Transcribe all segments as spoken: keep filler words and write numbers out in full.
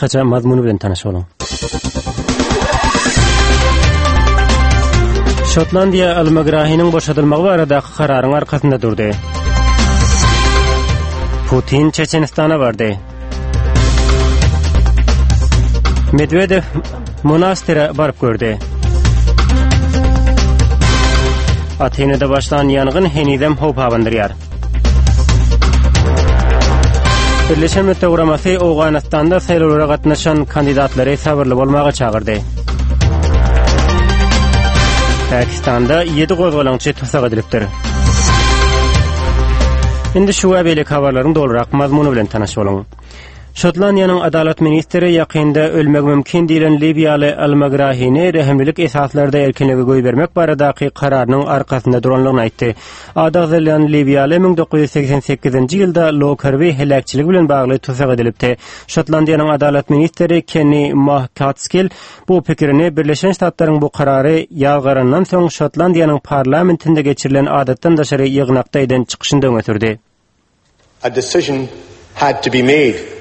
Gysgaça mazmuny bilen tanyş boluň. Şotlandiýa Al-Magrahiniň boşadylmagy baradaky kararyň arkasynda durdy. Putin Çeçenistana bardy. Medwedew monastyra baryp gördi. Atinada başlan ýangyn henizem howp abandyrýar. Birleşen Milletler Guramasy Owganystanda saýlawlara gatnaşan kandidatlary sabyrly bolmaga çagyrdy. Pakistanda ýedi gozgalaňçy tussag edilipdir. Indi şu we beýleki habarlaryň dolurak mazmuny bilen tanyş boluň. Şotlandiýanyň adalat ministri ýakynda ölmegi mümkin diýlen liwiýaly Al-Magrahini rehimlilik esaslarda erkinlige goýbermek baradaky kararynyň arkasynda duranlygyny aýtdy. Ady agzalýan liwiýaly müň dokuz ýüz segsen sekizinji ýylda Lokerbi heläkçiligi bilen bagly tussag edilipdi. Şotlandiýanyň adalat ministri Kenni McCaskill bu pikirini Birleşen Ştatlaryň bu karary ýazgarandan soň Şotlandiýanyň parlamentinde geçirilen adatdan daşary ýygnakda eden çykyşynda öňe sürdi. A decision had to be made.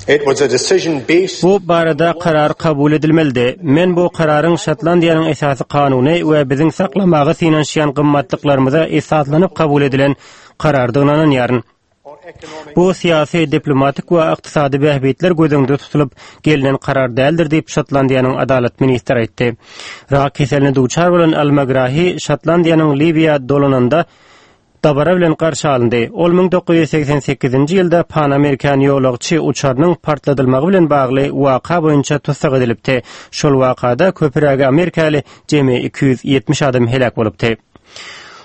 It was a decision based Bu barada karar kabul edilmelidi. Men bu kararyň Şotlandiýanyň esasy kanuny we biziň saklamaga synanyşýan gymmatlyklarymyza esaslanyp kabul edilen karardygyna ynanýaryn. Bu syýasy, diplomatik we ykdysady bähbitler göz öňünde tutulyp gelnen karar däldir diýip, Şotlandiýanyň adalat ministri aýtdy. Rak keseline duçar bolan Al-Magrahi Şotlandiýanyň Liwiýa dolananda dabara bilen garşy alyndy. Ol müň dokuz ýüz segsen sekizinji ýylda Pan Amerikan ýolagçy uçarynyň partladylmagy bilen bagly waka boýunça tussag edilipdi. Şol wakada köpürägi amerikaly jemi iki ýüz ýetmiş adam heläk bolupdy.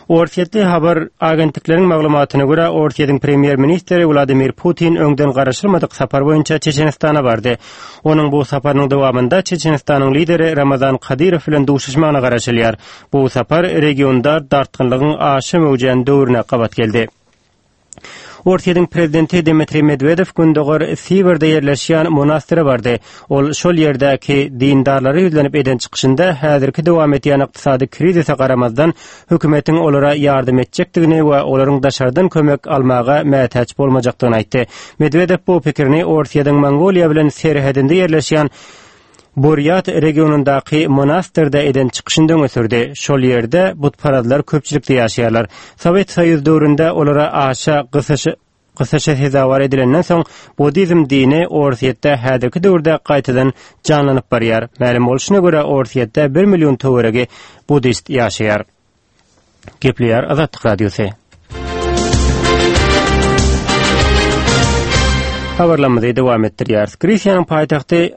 Orsýetli habar agentlikleriň maglumatyna görä, Orsýetiň premýer-ministri Wladimir Putin öňden garaşylmadyk sapar boýunça Çeçenistana bardy. Onuň bu saparynyň dowamynda Çeçenistanyň lideri Ramazan Kadyrow bilen duşuşmagyna garaşylýar. Bu sapar regionda dartgynlygyň aşa möwjän döwrüne gabat geldi. Orsýetiň prezidenti Dmitriý Medwedew Gündogar Sibirde ýerleşýän monastyra bardy. Ol şol ýerdäki dindarlara ýüzlenip eden çykyşynda häzirki dowam edýän ykdysady krizise garamazdan hökümetiň olara ýardam etjekdigini we olaryň daşardan kömek almaga mätäç bolmajakdygyny aýtdy. Medwedew bu pikirini Orsýetiň Mongoliýa bilen serhedinde ýerleşýän Burýat regionyndaky monastyrda eden çykyşynda öňe sürdi. Şol ýerde butparazlar köpçülikde ýaşaýarlar. Sowet Soýuz döwründe olara aşa gysyş, gysyşa sezewar edilenden soň buddizm dini Orsýetde häzirki döwürde gaýtadan janlanyp barýar. Mälim bolşuna görä Orsýetde bir million töweregi buddist ýaşaýar. Gepleýär Azatlyk Radiosy. Habarlarymyzy dowam etdirýäris. Gresiýanyň paýtagty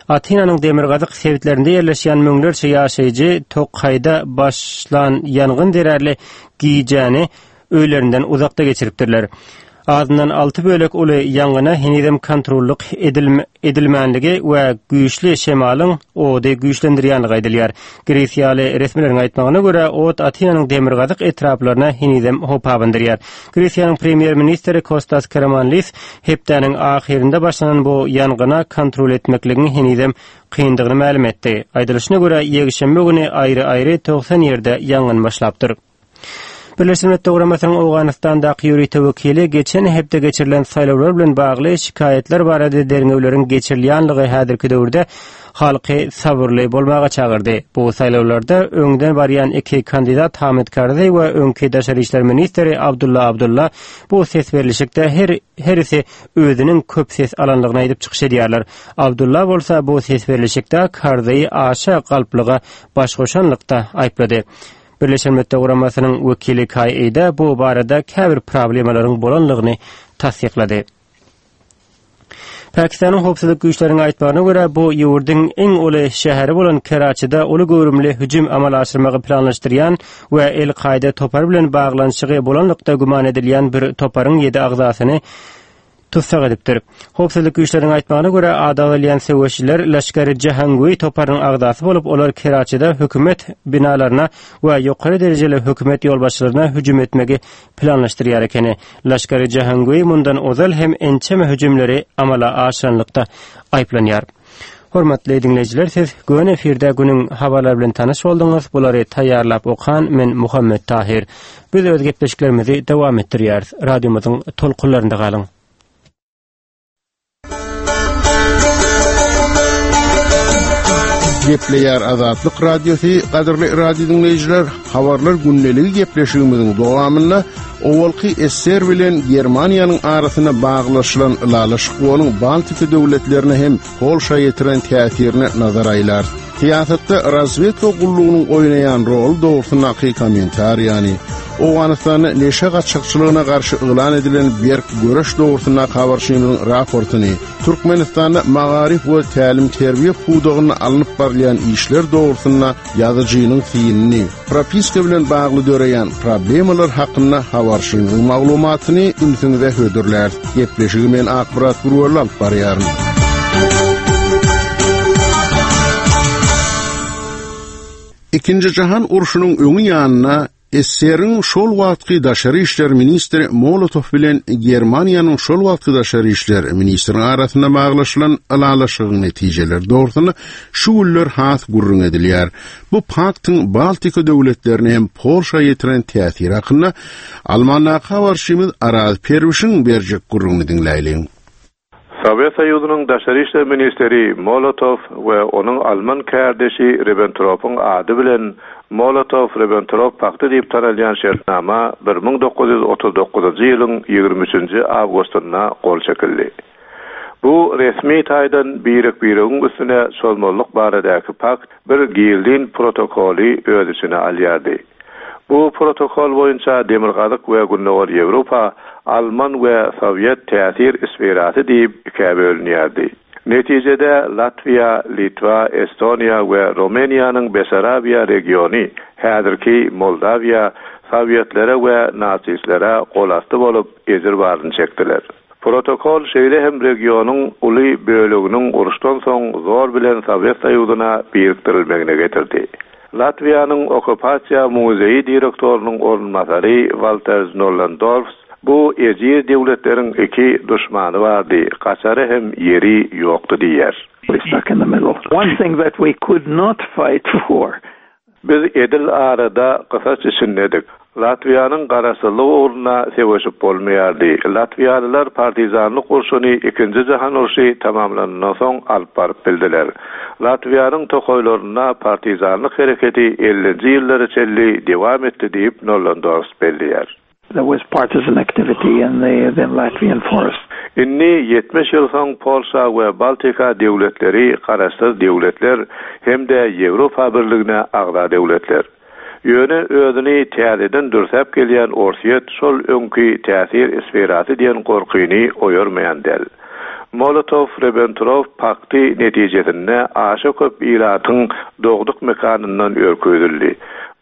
Atinanyň demirgazyk sebitlerinde ýerleşýän müňlerçe ýaşaýjy tokaýda başlan ýangyn zerarly gijäni öýlerinden uzakda geçiripdirler. Azyndan alty bölek uly ýangyna henizem kontrollyk edilme-, edilmänligi we güýçli şemalyň ody güýçlendirýänligi aýdylýar. Gresiýaly resmileriň aýtmagyna görä, ot Atinanyň demirgazyk etraplaryna henizem howp abandyrýar. Gresiýanyň premýer-ministri Kostas Karamanlis hepdäniň ahyrynda başlanan bu ýangyna kontrol etmekligiň henizem kyndygyny mälim etdi. Aýdylyşyna görä, ýekşenbe güni aýry-aýry togsan ýerde ýangyn başlapdyr. Birleşen Milletler Guramasynyň Owganystandaky ýörite wekili geçen hepde geçirilen saýlawlar bilen bagly şikaýatlar barada derňewleriň geçirilýänligi häzirki döwürde halky sabyrly bolmaga çagyrdy. Bu saýlawlarda öňden barýan iki kandidat Hamid Karzaý we öňki daşary işler ministri Abdullah Abdullah bu ses berlişikde her, herisi özüniň köp ses alanlygyny aýdyp çykyş edýärler. Abdullah bolsa bu ses berlişikde Karzaýy aşa galplyga baş goşanlykda aýyplady. Birleşen Milletler Guramasynyň wekili Kai Eide bu barada käbir problemalaryň bolanlygyny tassyklady. Pakistanyň howpsuzlyk güýçleriniň aýtmagyna görä, bu ýurduň iň uly şäheri bolan Keraçide uly göwrümli hüjüm amala aşyrmagy planlaşdyrýan we El-Kaýda topary bilen baglanyşygy bolanlykda güman edilýän bir toparyň ýedi agzasyny tussag edipdir. Howpsuzlyk güýçleriniň aýtmagyna görä, ady agzalýan söweşçiler Laşkar-i Jahangwi toparynyň agzasy bolup, olar Keraçide hökümet binalaryna we ýokary derejeli hökümet ýolbaşçylaryna hüjüm etmegi planlaşdyrýar ekeni. Laşkar-i Jahangwi mundan ozal hem ençeme hüjümleri amala aşyranlykda aýyplanýar. Hormatly dinleýjiler, siz göni efirde günüň habarlary bilen tanyş bolduňyz. Bulary taýýarlap okan men Muhammet Tahir. Biz öz gepleşiklerimizi dowam etdirýäris. Radiomyzyň tolkunlarynda galyň. Gepleýär Azatlyk Radiosy, gadyrly radio diňleýjiler, habarlar gündeligi gepleşigimiziň dowamynda owalky S S S R bilen Germaniýanyň arasynda baglaşylan ylalaşyk onuň Baltika döwletlerine hem Polşa ýetiren täsirine nazar aýlar. Syýasatda razwedka gullugynyň oýnaýan roly dogrusyndaky kommentariýany, Owganystanda neşe gaçakçylygyna garşy yglan edilen berk göreş dogrusyndaky habarçymyzyň raportyny, Türkmenistanda magaryf we tälim terbiýe pudagynda alnyp barylýan işler dogrusynda ýazyjynyň synyny, propiska bilen bagly döreýän problemalar hakynda habarçymyzyň maglumatyny ünsüňize hödürlär. Gepleşigi men Akmyrat Gurwally alyp barýaryn. Ikinji Jahan urşunyň öňi ýanyna S S S R-iň şol wagtky daşary işler ministri Molotow bilen Germaniýanyň şol wagtky daşary işler ministriniň arasynda baglaşylan ylalaşygyň netijeleri dogrusynda şu günler has gürrüň edilýär. Bu paktyň Baltika döwletlerine hem Polşa ýetiren täsiri hakynda Almandaky habarçymyz Araz Perwişiň berjek gürrüňini diňläýliň. Sowet Soýuzynyň daşary işler ministri Molotow we onuň Alman kärdeşi Ribbentropyň ady bilen Molotow-Ribbentrop pakty diýip tanalýan şertnama bir müň dokuz ýüz otuz dokuzynjy ýylyň ýigrimi üçünji awgustynda gol çekildi. Bu resmi taýdan birek-biregiň üstüne çozmazlyk baradaky pakt bir gizlin protokoly öz içine alýardy. Bu protokol boýunça Demirgazyk we Gündogar Ýewropa Alman we Sowet täsir sferasy diýip ikä bölünýärdi. Netijede Latwiýa, Litwa, Estoniýa we Rumyniýanyň Besarabiýa regiony, häzirki Moldawiýa Sowyetlere we nasistlere golasty bolup ejir baryny çekdiler. Protokol şeýle hem regionyň uly böleginiň uruşdan soň zor bilen Sowet Soýuzyna birikdirilmegine getirdi. Latwiýanyň okkupasiýa muzeýi direktorynyň orunbasary Walter Nollendorf bu ejir döwletleriň iki duşmany bardy, gaçara hem ýeri ýokdy diýer. We stuck in the middle. One thing that we could not fight for Biz edil arada gysaç içindedik. Latwiýanyň garaşsyzlygy ugrunda söweşip bolmaýardy. Latwiýalylar partizanlyk urşuny ikinji jahan urşy tamamlanandan soň alyp baryp bildiler. Latwiýanyň tokaýlarynda partizanlyk hereketi ellinji ýyllara çenli dowam etdi diýip Nollendorf belleýär. There was partisan activity in the, the Latvian forest. Indi ýetmiş ýyl soň Polşa we Baltika döwletleri garaşsyz döwletler hem-de Ýewropa Birligine agza döwletler. Ýöne özüni täzeden dürsäp gelýän Orsýet şol öňki täsir sferasy diýen gorkyny oýarmaýan däl. Molotow-Ribbentrop pakty netijesinde aşa köp ilatyň dogduk mekanyndan ürküzildi.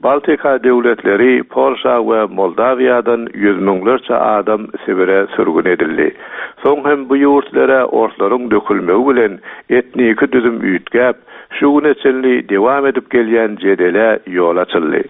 Baltika döwletleri Polşa we Moldawiýadan ýüz müňlerçe adam Sibire sürgün edildi. Soň hem bu ýurtlara orslaryň dökülmegi bilen etniki düzüm üýtgäp, şu güne çenli dowam edip gelýän jedele ýol açyldy.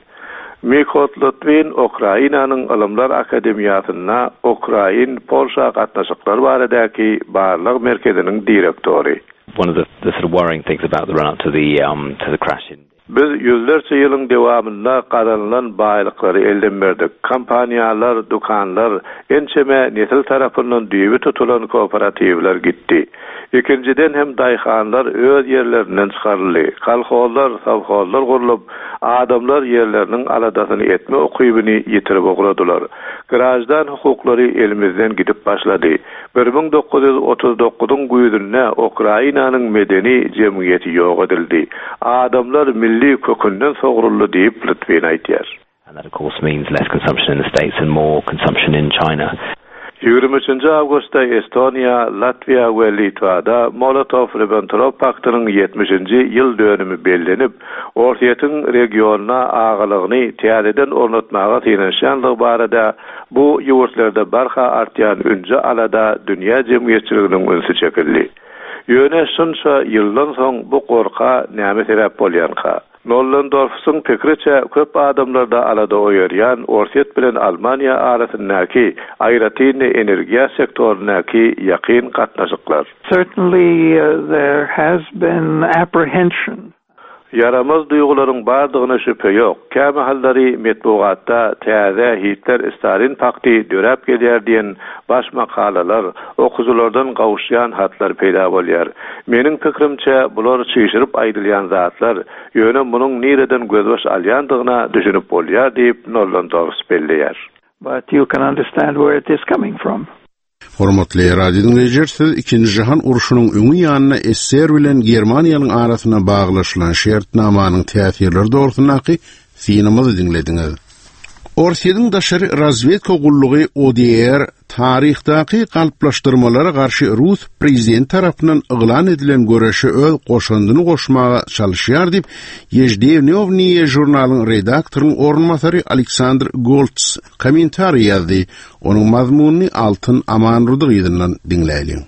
Mikot Litwin Ukrainanyň Ylymlar Akademiýasynda Ukrain Polşa gatnaşyklary baradaky barlag merkeziniň direktory. One of the, the sort of worrying things about the run up to the um, to the crash in Biz ýüzlerçe ýylyň dowamynda gazanylan baýlyklary elden berdik. Kompaniýalar, dükanlar, ençeme nesil tarapyndan düýbi tutulan kooperatiwler gitdi. Ikinjiden hem daýhanlar öz ýerlerinden çykaryldy. Kolhozlar, sowhozlar gurlup, adamlar ýerleriniň aladasyny etme ukybyny ýitirip ugradylar. Grajdan hukuklary elimizden gidip başlady. bir müň dokuz ýüz otuz dokuzyň güýzünde Ukrainanyň medeni jemgyýeti ýok edildi. Adamlar milli kökünden sogruldy diýip Litwin aýtýar. And that of course means less consumption in the States and more consumption in China. ýigrimi üçünji awgustda Estoniýa, Latwiýa we Litwada Molotow-Ribbentrop paktynyň ýetmişinji ýyl dönümi bellenip, Orsýetiň regionyna agalygyny täzeden ornatmaga synanyşýanlygy barada bu ýurtlarda barha artýan ünji alada dünýä jemgyýetçiliginiň ünsi çekildi. Ýöne şunça ýyldan soň bu gorka näme sebäp bolýanka? Nollendorfsyň pikriçe köp adamlarda alada oýarýan Orsýet bilen Almaniýa arasyndaky aýratyn energiýa sektoryndaky ýakyn gatnaşyklar. Certainly uh, there has been apprehension. Ýaramaz duýgularyň bardygyna şübhe ýok. Kämahallary metbugatda täze Hitler-Stalin pakty döräp gelýär diýen baş makalalar, okyjylardan gowuşýan hatlar peýda bolýar. Meniň pikirimçe bular çişirip aýdylýan zatlar, ýöne munuň nireden gözbaş alýandygyna düşünip bolýar diýip Nollendorf belleýär. But you can understand where it is coming from. Hormatly radio dinleýjiler, siz ikinji jahan urşunyň öňi ýanyna S S R bilen Germaniýanyň arasynda baglaşylan şertnamanyň täsirleri dogrusyndaky synymyzy diňlediňiz. Orsýetiň daşary razwedka gullugy O D R taryhdaky galplaşdyrmalara garşy Rus prezident tarapyndan yglan edilen göreşe öz goşandyny goşmaga çalışýar diýip, Ýeždnewniýe žurnalyň redaktorynyň orunbasary Aleksandr Goltz kommentariý ýazdy. Onuň mazmunyny Altyn Amanrudy ýygyndan diňläýliň.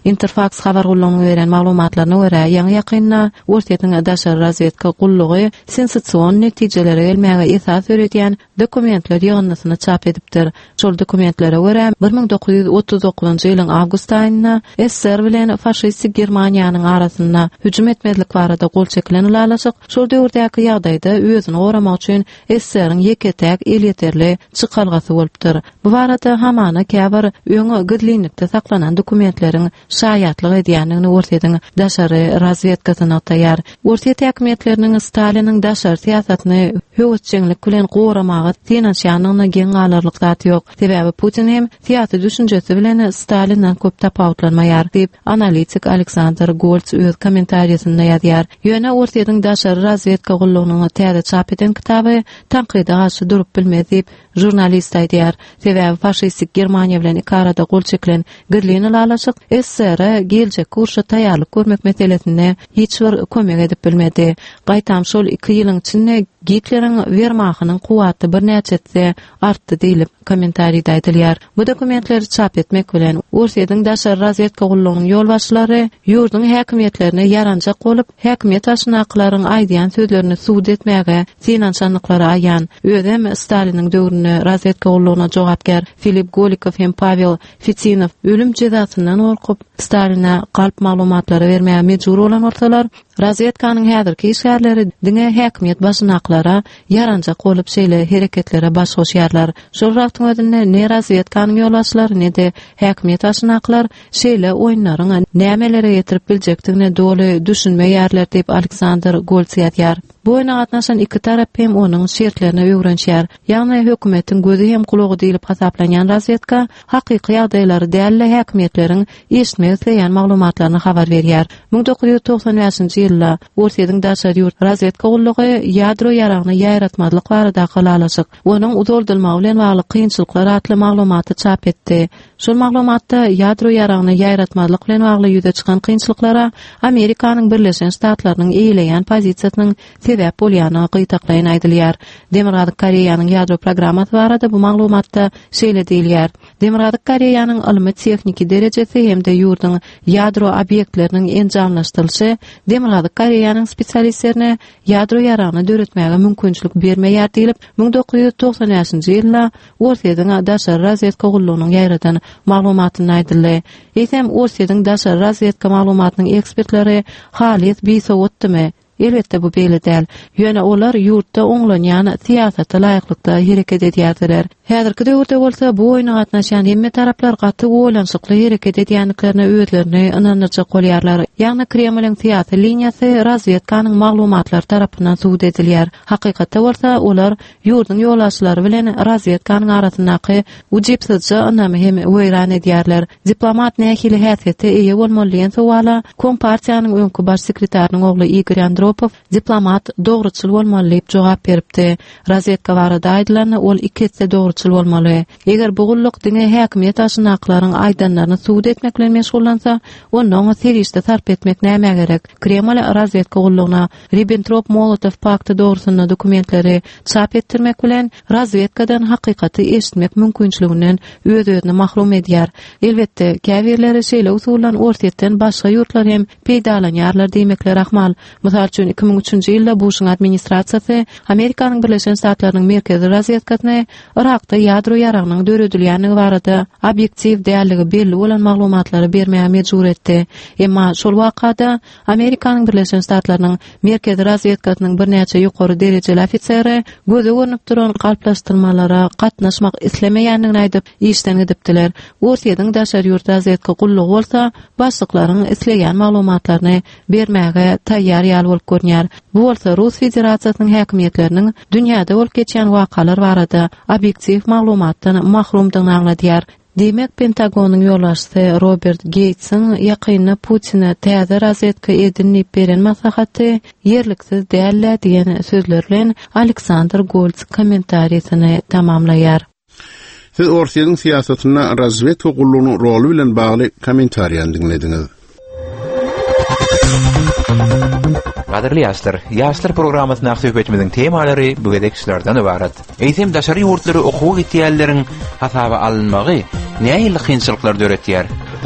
Interfax habar gullugynyň beren maglumatlaryna görä, ýaňy ýakynda Orsýetiň daşary razwedka gullugy sensasiýon netijelere gelmäge esas döredýän dokumentler ýygyndysyny çap edipdir. Şol dokumentlere görä, bir müň dokuz ýüz otuz dokuzynjy ýylyň awgust aýynda S S S R bilen faşistik Germaniýanyň arasynda hüjüm etmezlik barada gol çekilen ylalaşyk şol döwürdäki ýagdaýda özüni goramak üçin S S S R-iň ýeke-täk elýeterli çykalgasy bolupdyr. Bu barada hamana käbir öňe gizlinlikde saklanan dokumentleriň şaýatlyk edýändigini Orsýetiň daşary razwedkasy nygtaýar. Orsýet häkimiýetleriniň Staliniň daşary syýasatyny höwesjeňlik bilen goramaga synanyşýandygyna geň galarlyk zat ýok. Sebäbi Putin hem syýasy düşünjesi bilen Stalinden köp tapawutlanmaýar diýip, analitik Aleksandr Goltz öz kommentariýasynda ýazýar. Ýöne Orsýetiň daşary razwedka gullugynyň täze çap eden kitaby tankyda garşy durup bilmez diýip, žurnalist aýdýar. Sebäbi faşistik Germaniýa bilen iki arada gol çekilen gizlin ylalaşyk S S S R geljek urşa taýýarlyk görmek meselesinde hiç bir kömek edip bilmedi. Gaýtam şol iki ýylyň içinde Gitleriň Wehrmachtynyň kuwwaty birnäçe artdy diýlip kommentariýada aýdylýar. Bu dokumentleri çap etmek bilen Orsýetiň daşary razwedka gullugynyň ýolbaşçylary ýurduň häkimiýetlerine ýaranjak bolup, häkimiýet başyndakylaryň aýdýan sözlerini subut etmäge synanyşandyklary aýan. Özem Staliniň döwründe razwedka gullugyna jogapkär Filip Golikow hem Pavel Fitinow ölüm jezasyndan gorkup Staline galp maglumatlary bermäge mejbur bolan bolsalar, razwedkanyň häzirki işgärleri diňe häkimiýet başyndakylara ýaranjak bolup şeýle hereketlere baş goşýarlar. Şol wagtyň özünde ne razwedkanyň ýolbaşçylary ne-de häkimiýet başyndakylar şeýle oýunlaryň nämelere getirip biljekdigine doly düşünmeýärler diýip Aleksandr Goltz ýazýar. Bu oýuna gatnaşan iki tarap hem onuň şertlerine öwrenişýär. Ýagny hökümetiň gözi hem gulagy diýlip hasaplanýan razwedka hakyky ýagdaýlary däl häkimiýetleriň eşitmek isleýän maglumatlaryny habar berýär. bir müň dokuz ýüz togsan bäşinji ýylda Orsýetiň daşary ýurt razwedka gullugy ýadro ýaragyny ýaýratmazlyk baradaky ylalaşyk, onuň uzaldylmagy bilen bagly kynçylyklar atly maglumaty çap etdi. Şol maglumatda ýadro ýaragyny ýaýratmazlyk bilen bagly ýüze çykan kynçylyklara Amerikanyň Birleşen Ştatlarynyň eýeleýän pozisiýasynyň sebäp bolýany gytaklaýyn aýdylýar. Demirgazyk Koreýanyň ýadro programmasy barada bu maglumatda şeýle diýilýär: Demirgazyk Koreýanyň ylmy tehniki derejesi hem-de ýurduň ýadro obýektleriniň enjamlaşdyrylyşy Demirgazyk Koreýanyň spesialistlerine ýadro ýaragyny döretmäge mümkinçilik bermeýär diýlip bir müň dokuz ýüz togsan bäşinji ýylda Orsýetiň daşary razwedka gullugynyň ýaýradan maglumatynda aýdyldy. Eýsem Orsýetiň daşary razwedka maglumatynyň ekspertleri halys bisowatdymy? Elbetde bu beýle däl. Ýöne olar ýurtda oňlanýan syýasata laýyklykda hereket edýärdiler. Häzirki döwürde bolsa bu oýuna gatnaşýan hemme taraplar gaty oýlanyşykly hereket edýändiklerine özlerini ynandyrjak bolýarlar. Ýagny Kremliň syýasy liniýasy razwedkanyň maglumatlary tarapyndan subut edilýär. Hakykatda bolsa olar ýurduň ýolbaşçylary bilen razwedkanyň arasyndaky ujypsyzja ynamy hem weýran edýärler. Diplomat nähili häsiýete eýe bolmaly diýen sowala Kompartiýanyň öňki baş sekretarynyň ogly Igor Andropow diplomat dogruçyl bolmaly diýip jogap beripdi. Razwedka barada aýdylanda ol iki esse dogruçyl bolmaly. Eger bu gulluk diňe häkimiýet başyndakylaryň aýdanlaryny subut etmek bilen meşgullansa, onda oňa serişde sarp etmek nämä gerek? Kreml razwedka gullugyna Ribbentrop-Molotow pakty dogrusynda dokumentleri çap etdirmek bilen razwedkadan hakykaty eşitmek mümkinçiliginden öz-özüni mahrum edýär. Elbetde, käbirleri şeýle usuldan Orsýetden başga ýurtlar hem peýdalanýarlar diýmekleri ahmal. Mysal üçin iki müň üçünji ýylda Buşuň administrasiýasy Amerikanyň Birleşen Ştatlarynyň merkezi razwedkasyny Yrakda ýadro ýaragynyň döredilýändigi barada obýektiw dälligi belli bolan maglumatlary bermäge mejbur etdi. Emma şol wakada Amerikanyň Birleşen Ştatlarynyň merkezi razwedkasynyň birnäçe ýokary derejeli ofiseri göze görnüp duran galplaşdyrmalara gatnaşmak islemeýändigini aýdyp işden gidipdiler. Orsýetiň daşary ýurt razwedka gullugy bolsa başlyklaryň isleýän maglumatlaryny bermäge taýýar ýaly bolup görünýär. Bu bolsa Rus Federasiýasynyň häkimiýetleriniň dünýäde bolup geçýän wakalar barada obýektiw maglumatdan mahrumdygyny aňladýar. Diýmek, Pentagonyň ýolbaşçysy Robert Geýtsiň ýakynda Putine täze razwedka edin diýip beren maslahaty ýerliksiz däl diýen sözler bilen Aleksandr Golds kommentariýasyny tamamlaýar. Siz Orsýetiň syýasatynda razwedka gullugynyň roly bilen bagly kommentariýany diňlediňiz. Gadyrly ýaşlar, ýaşlar programmasyndaky söhbetimiziň temalary bu gezek şulardan ybarat. Eýsem daşary ýurtlary okuwa gitýänleriň hasaba alynmagy nähili kynçylyklar döretýär?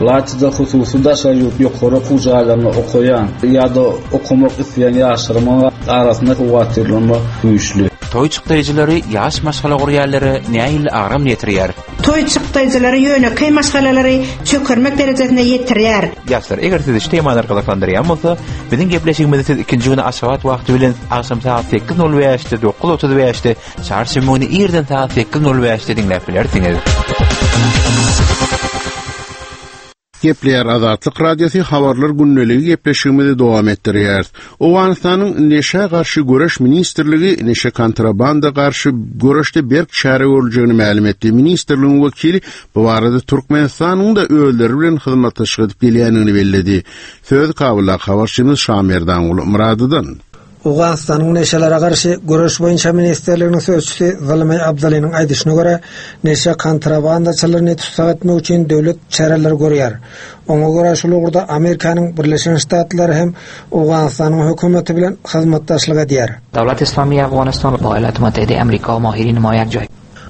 Laçyda hususy daşary ýurt ýokary okuw jaýlarynda okaýan ýa-da okamak isleýän ýaşlaryň arasynda howatyrlanma güýçli. Toý çykdaýjylary ýaş maşgala gurýanlara nähili agram ýetirýär? Toý çykdaýjylary ýönekeý maşgalalary çökermek derejesine ýetirýär. Ýaşlar, eger sizi şu temalar gyzyklandyrýan bolsa, biziň gepleşigimizi siz ikinji güni Aşgabat wagty bilen agşam saat sekiz nol bäşde, dokuz otuz bäşde, çarşenbe güni irden saat sekiz nol bäşde diňläp bilersiňiz. Gepleýär Azatlyk Radiosy habarlar gündeligi gepleşigimizi dowam etdirýär. Owganystanyň neşä garşy göreş ministrligi neşe kontrabanda garşy göreşde berk çäre görüljegini mälim etdi. Ministrligiň wekili bu barada Türkmenistanyň da özleri bilen hyzmatdaşlyk edip gelýändigini belledi. Söz Kabulda habarçymyz Şamerdanguly Myradydan. Owganystanyň neşelere garşy göreş boýunça ministrliginiň sözçüsi Zalmay Abdalynyň aýdyşyna görä, neşe kontrabandaçylaryny tussag etmek üçin döwlet çäreleri görýär. Oňa görä şul ugurda Amerikanyň Birleşen Ştatlary hem Owganystanyň hökümeti bilen hyzmatdaşlyk edýär. Dawlat Islamiy Afghanistan با ایالات متحده Amerika mahirin ma yak joy.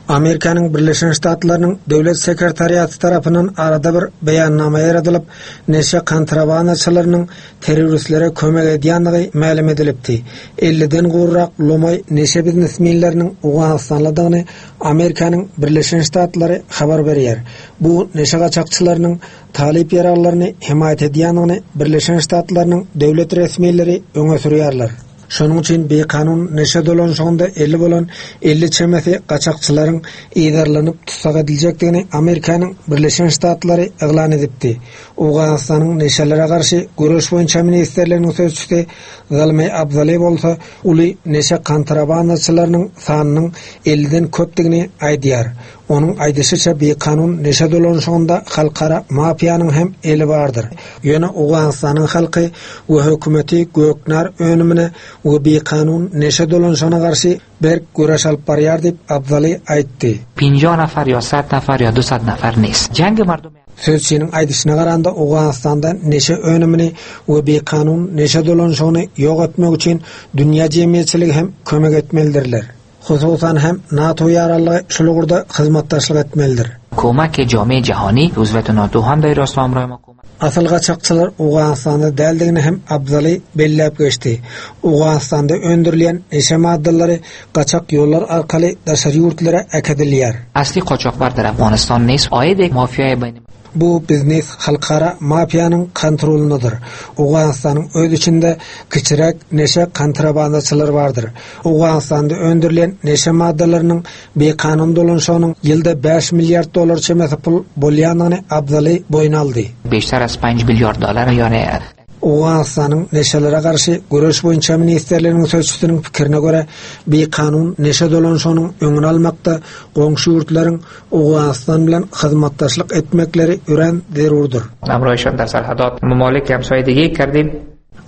Amerikanyň Birleşen Ştatlarynyň döwlet sekretariaty tarapyndan arada bir beýannama ýaradylып, neşe kontrabandaçylarynyň terroristlere kömek edýändigi mälim edilipdi. elliden gowrak lomaý neşe biznesmenleriniň Owganystanlydygyny Amerikanyň Birleşen Ştatlary habar berýär. Bu neşe gaçakçylarynyň talyp ýaraglaryny hemaýat edýändigini Birleşen Ştatlarynyň döwlet resmileri öňe sürýärler. Şonuň üçin bekanun neşe dolanşygynda elli bolan elli çemesi gaçakçylaryň yzarlanyp tussag ediljekdigini Amerikanyň Birleşen Ştatlary yglan edipdi. Owganystanyň neşelere garşy göreş boýunça ministrliginiň sözçüsi Zalmay Abdaly bolsa uly neşe kontrabandaçylarynyň sanynyň elliden köpdigini aýdýar. Onuň aýdyşyça bekanun neşe dolanşygynda halkara mafiýanyň hem eli bardyr. Ýöne Owganystanyň halky we hökümeti göknar önümine we bekanun neşe dolanşygyna garşy berk göreş alyp barýar diýip Abdaly aýtdy. پنجاه نفر یا صد نفر یا دویست نفر نیست. جنگ مردم Sözçiniň aýdyşyna garanda Owganystanda neşe önümini we bekanun neşe dolanşygyny ýok etmek üçin dünýä jemgyýetçiligi hem kömek etmelidirler. Hususan hem NATO ýararlygy şul ugurda hyzmatdaşlyk etmelidir. کمک جامعه جهانی عضویت NATO هم در راست همراه ما کمک Asyl gaçakçylar Owganystanda däldigini hem Abdaly belläp geçdi. Owganystanda öndürilýän neşe maddalary gaçak ýollar arkaly daşary ýurtlara äkidilýär. اصلی قاچاقبر در افغانستان نیست. عاید مافیای بین Bu biznes halkara mafiýanyň kontrolundadyr. Owganystanyň öz içinde kiçiräk neşe kontrabandaçylary bardyr. Owganystanda öndürilýän neşe maddalarynyň bekanun dolanşygynyň ýylda bäş milliard dollar çemesi pul bolýandygyny Abdaly boýun aldy. بیشتر از پنج میلیارد دلار یعنی Owganystanyň neşelere garşy göreş boýunça ministrliginiň sözçüsiniň pikirine görä, bekanun neşe dolanşygynyň öňüni almakda goňşy ýurtlaryň Owganystan bilen hyzmatdaşlyk etmekleri örän zerurdyr. همراهشان در سرحدات ممالک همسایه دیگه کردیم.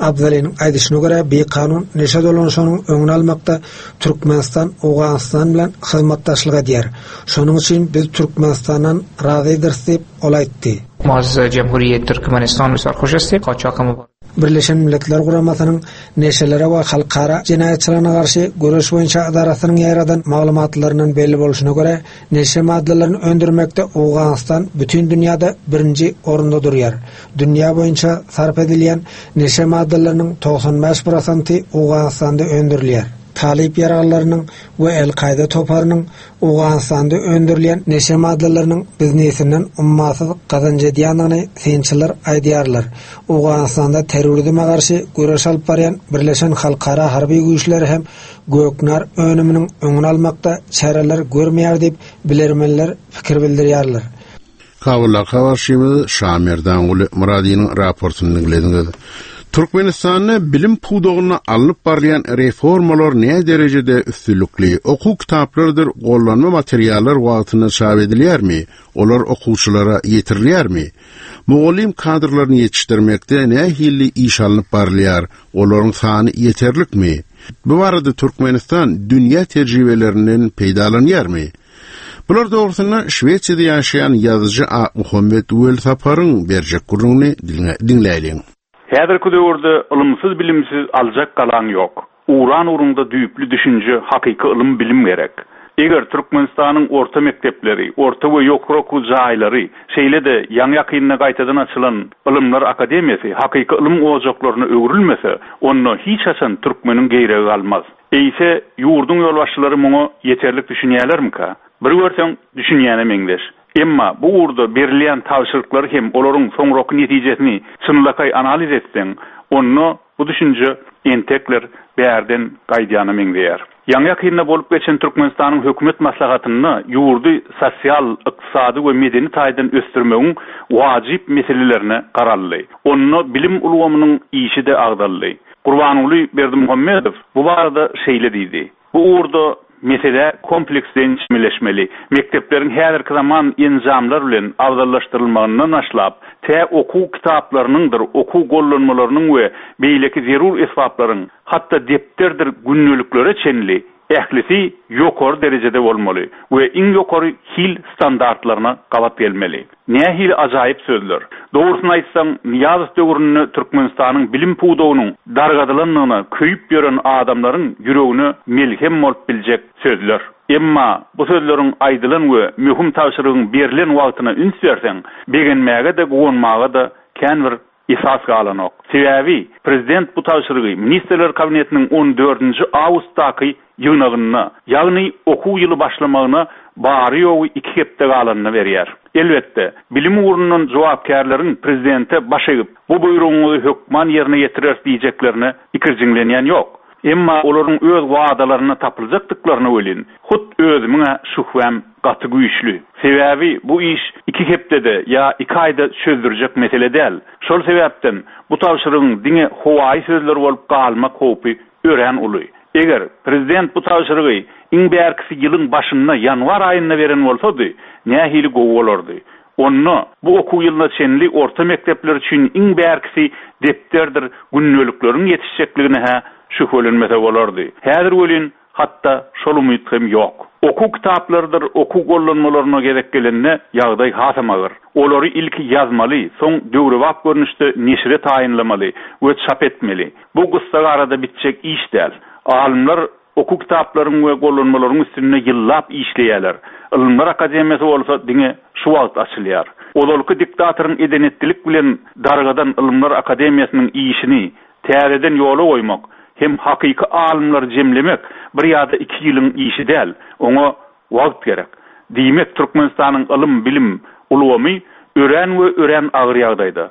Abdalynyň aýdyşyna görä, bekanun neşe dolanşygynyň öňüni almakda Türkmenistan Owganystan bilen hyzmatdaşlyk edýär. Şonuň üçin biz Türkmenistandan razydyrys diýip ol aýtdy. ما از جمهوری ترکمنستان بسیار خوش هستیم. قاچاق مبارک. Birleşen Milletler Guramasynyň neşelere we halkara jenaýatçylygyna garşy göreş boýunça edarasynyň ýaradan maglumatlaryndan belli bolşuna görä, neşe maddalaryny öndürmekde Owganystan bütün dünýäde birinji orunda durýar. Dünýä boýunça sarp edilýän neşe maddalarynyň togsan bäş prosenti Owganystanda öndürilýär. Talip ýaraglarynyň we El-Kaýda toparynyň Owganystanda öndürilýän neşe maddalarynyň biznesinden ummasyz gazanç edýändigini synçylar aýdýarlar. Owganystanda terrorizme garşy göreş alyp barýan Birleşen Halkara Harby Güýçleri hem göknar önüminiň öňüni almakda çäreler görmeýär diýip bilermenler pikir bildirýärler. Kabulda habarçymyz Şamerdanguly Muradynyň raportyny dinlediňiz. Türkmenistanda bilim pudagyna alnyp barýan reformalar ne derejede üstünlikli? Okuw kitaplarydyr gollanma materiallar wagtynda çap edilýärmi? Olar okuwçylara ýetirilýärmi? Mugallym kadrlaryny ýetişdirmekde nähili iş alnyp barylýar? Olaryň sany ýeterlikmi? Bu barada Türkmenistan dünýä tejribelerinden peýdalanýarmy? Bular dogrusynda Şwetsiýada ýaşaýan ýazyjy A. Muhammet Welsaparyň berjek gürrüňini diňläýliň. Häzirki döwürde ylymsyz bilimsiz aljak galan ýok. Uran ugrunda düýpli düşünje, hakyky ylym bilim gerek. Eger Türkmenistanyň orta mekdepleri, orta we ýokary okuw jaýlary, şeýle-de ýaňy ýakynda gaýtadan açylan Ylymlar Akademiýasy hakyky ylym ojaklaryna öwrülmese, onda hiç haçan türkmeniň geýregi galmaz. Eýse ýurduň ýolbaşçylary muňa ýeterlik düşünýärlermika? Bir görseň, düşünýäne meňzeş. Emma bu ugurda berilýän tabşyryklary hem olaryň soňraky netijesini çynlakaý analiz etseň, onda bu düşünje entekler bärden gaýdýana meňzeýär. Ýaňy ýakynda bolup geçen Türkmenistanyň hökümet maslahatynda ýurdy sosial, ykdysady we medeni taýdan ösdürmegiň wajyp meselelerine garaldy. Onda bilim ulgamynyň işi-de agdaldy. Gurbanguly Berdimuhamedow bu barada şeýle diýdi. Bu ugurda mesele kompleksden çemeleşmeli. Mekdepleriň häzirki zaman enjamlar bilen abzallaşdyrylmagyndan başlap, tä okuw kitaplarynyňdyr, okuw gollanmalarynyň we beýleki zerur esbaplaryň, hatda depderdir gündeliklere çenli ählisi ýokary derejede bolmaly we iň ýokary hil standartlaryna gabat gelmeli. Nähili ajaýyp sözler. Dogrusyny aýtsaň, Nyýazow döwründe Türkmenistanyň bilim pudagynyň dargadylandygyna köýüp ýören adamlaryň ýüregine melhem bolup biljek sözler. Emma bu sözleriň aýdylan we möhüm tabşyrygyň berlen wagtyna üns berseň, begenmäge-de, guwanmaga-da kän bir esas galanok. Sebäbi prezident bu tabşyrygy Ministrler Kabinetiniň on dördünji awgustdaky ýygnagynda, ýagny okuw ýyly başlamagyna bary ýogy iki hepde galanyny berýär. Elbetde, bilim ugrundan jogapkärleriň prezidente baş egip, bu buýrugyňyzy hökman ýerine ýetirer diýjeklerine ikirjiňlenýän ýok. Emma olaryň öz wadalaryna tapyljakdyklaryny welin, hut özümiň şübhäm gaty güýçli. Sebäbi bu iş iki hepdede ýa iki aýda çözdürjek mesele däl. Şol sebäpden bu tabşyrygyň diňe howaýy sözler bolup galmak howpy örän uly. Eger prezident bu tabşyrygy iň bärkisi ýylyň başynda ýanwar aýynda beren bolsady, nähili gowy bolardy. Onda bu okuw ýylyna çenli orta mekdepler üçin iň bärkisi depderdir gündelikleriň ýetişjekligine hä şübhelenmese bolardy. Häzir welin hatda şol umyt hem ýok. Okuw kitaplarydyr, okuw gollanmalaryna gezek gelende ýagdaý hasam agyr. Olary ilki ýazmaly, soň döwrebap görnüşde neşire taýynlamaly we çap etmeli. Bu gyssagarada bitjek iş däl. Alymlar okuw kitaplaryň we gollanmalaryň üstünde ýyllap işleýärler. Ylymlar Akademiýasy bolsa diňe şu wagt açylýar. Ozalky diktatoryň edenetlilik bilen dargadan Ylymlar Akademiýasynyň işini täzeden ýola goýmak hem hakyky alymlary jemlemek bir ýa-da iki ýylyň işi däl, oňa wagt gerek. Diýmek, Türkmenistanyň ylym bilim ulgamy örän we örän agyr ýagdaýda.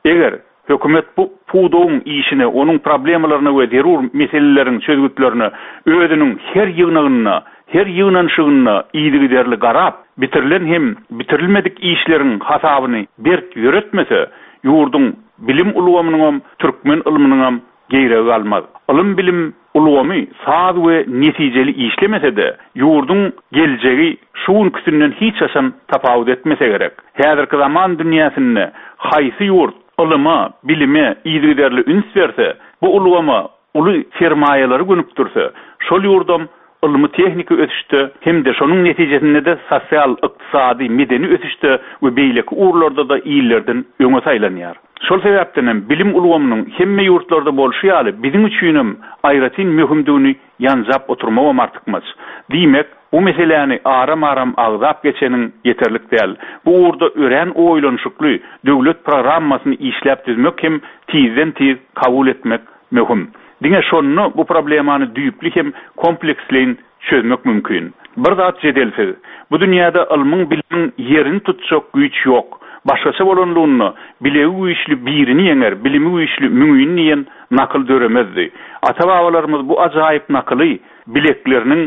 Eger hökümet bu pudagyň işine, onuň problemalaryna we zerur meseleleriň çözgütlerine özüniň her ýygnagynda, her ýygnanyşygynda yzygiderli garap, bitirilen hem bitirilmedik işleriň hasabyny berk ýöretmese, ýurduň bilim ulgamynyň türkmen ylmynyň geýregi galmaz. Ylym bilim ulgamy saz we netijeli işlemese-de, ýurduň geljegi şu günküsinden hiç haçan tapawut etmese gerek. Häzirki zaman dünýäsinde haýsy ýurt ylyma, bilime yzygiderli üns berse, bu ulgama uly sermaýalary gönükdirse, şol ýurdam ylmy-tehniki ösüşde hem-de şonuň netijesinde-de sosial, ykdysady, medeni ösüşde we beýleki ugurlarda-da illerden öňe saýlanýar. Şol sebäpden hem bilim ulgamynyň hemme ýurtlarda bolşy ýaly biziň üçinem aýratyn möhümdigini ýanjap oturmagam artykmaç. Diýmek, bu meseläni aram-aram agzap geçeniň ýeterlik däl. Bu ugurda örän oýlanyşykly döwlet programmasyny işläp düzmek hem tizden-tiz kabul etmek möhüm. Diňe şonda bu problemany düýpli hem kompleksleýin çözmek mümkin. Bir zat jedelsiz. Bu dünýäde ylmyň bilimiň ýerini tutjak güýç ýok. Başgaça bolanlygynda bilegi güýçli birini ýeňer, bilimi güýçli müňini diýen nakyl döremezdi. Ata-babalarymyz bu ajaýyp nakyly bilekleriniň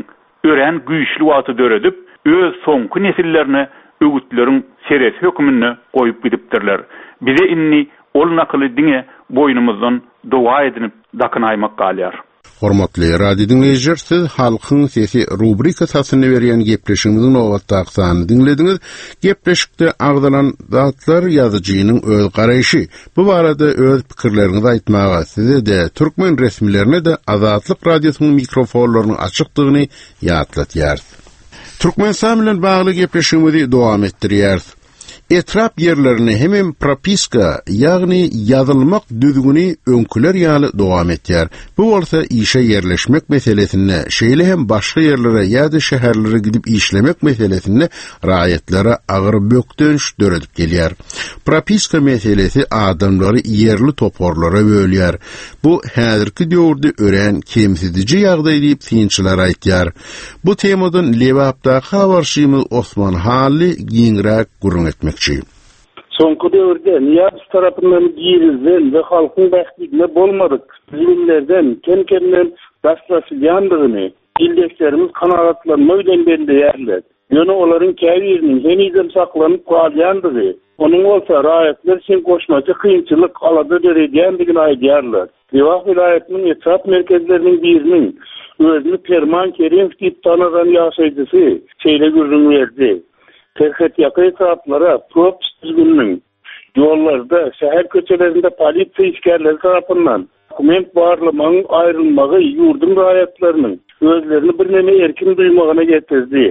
örän güýçli wagty döredip, öz soňky nesillerine öwütleriň seresi hökmünde goýup gidipdirler. Bize indi ol nakyly diňe boýnumyzdan doga edinip dakynaýmak galýar. Hormatly radio diňleýjiler, siz Halkyň sesi rubrikasyny berýän gepleşigimiziň nobatdaky sanyny diňlediňiz. Gepleşikde agzalan zatlar ýazyjynyň öz garaýşy. Bu barada öz pikirleriňizi aýtmaga size-de türkmen resmilerine-de Azatlyk radiosynyň mikrofonlarynyň açykdygyny ýatlatýarys. Türkmenistan bilen bagly gepleşigimizi dowam etdirýäris. Etrap ýerlerine hemem propiska, ýagny ýazylmak düzgüni öňküler ýaly dowam etýär. Bu bolsa işe ýerleşmek meselesinde, şeýle hem başga ýerlere ýa-da şäherlere gidip işlemek meselesinde raýatlara agyr bökdenç döredip gelýär. Propiska meselesi adamlary ýerli toparlara bölýär. Bu häzirki döwürde örän kemsidiji ýagdaý diýip synçylar aýtýar. Bu temadan Lebapdaky habarçymyz Osman Hally giňräk gürrüň etmekçi. Soňky döwürde Nyýazow tarapyndan girizilen we halkyň bähbidine bolmadyk düzgünlerden kem-kemden daşlaşylýandygyny ildeşlerimiz kanagatlanma bilen belleýärler. Ýöne olaryň käbiriniň henizem saklanyp galýandygy, onuň bolsa raýatlar üçin goşmaça kynçylyk, alada döredýändigini aýdýarlar. Lebap welaýatynyň etrap merkezleriniň biriniň özüni Perman Kerimow diýip tanadan ýaşaýjysy şeýle gürrüň berdi. Serhetýaka etraplara propis düzgüniniň ýollarda, şäher köçelerinde polisiýa işgärleri tarapyndan dokument barlamagyň aýrylmagy ýurduň raýatlarynyň özlerini birneme erkin duýmagyna getirdi.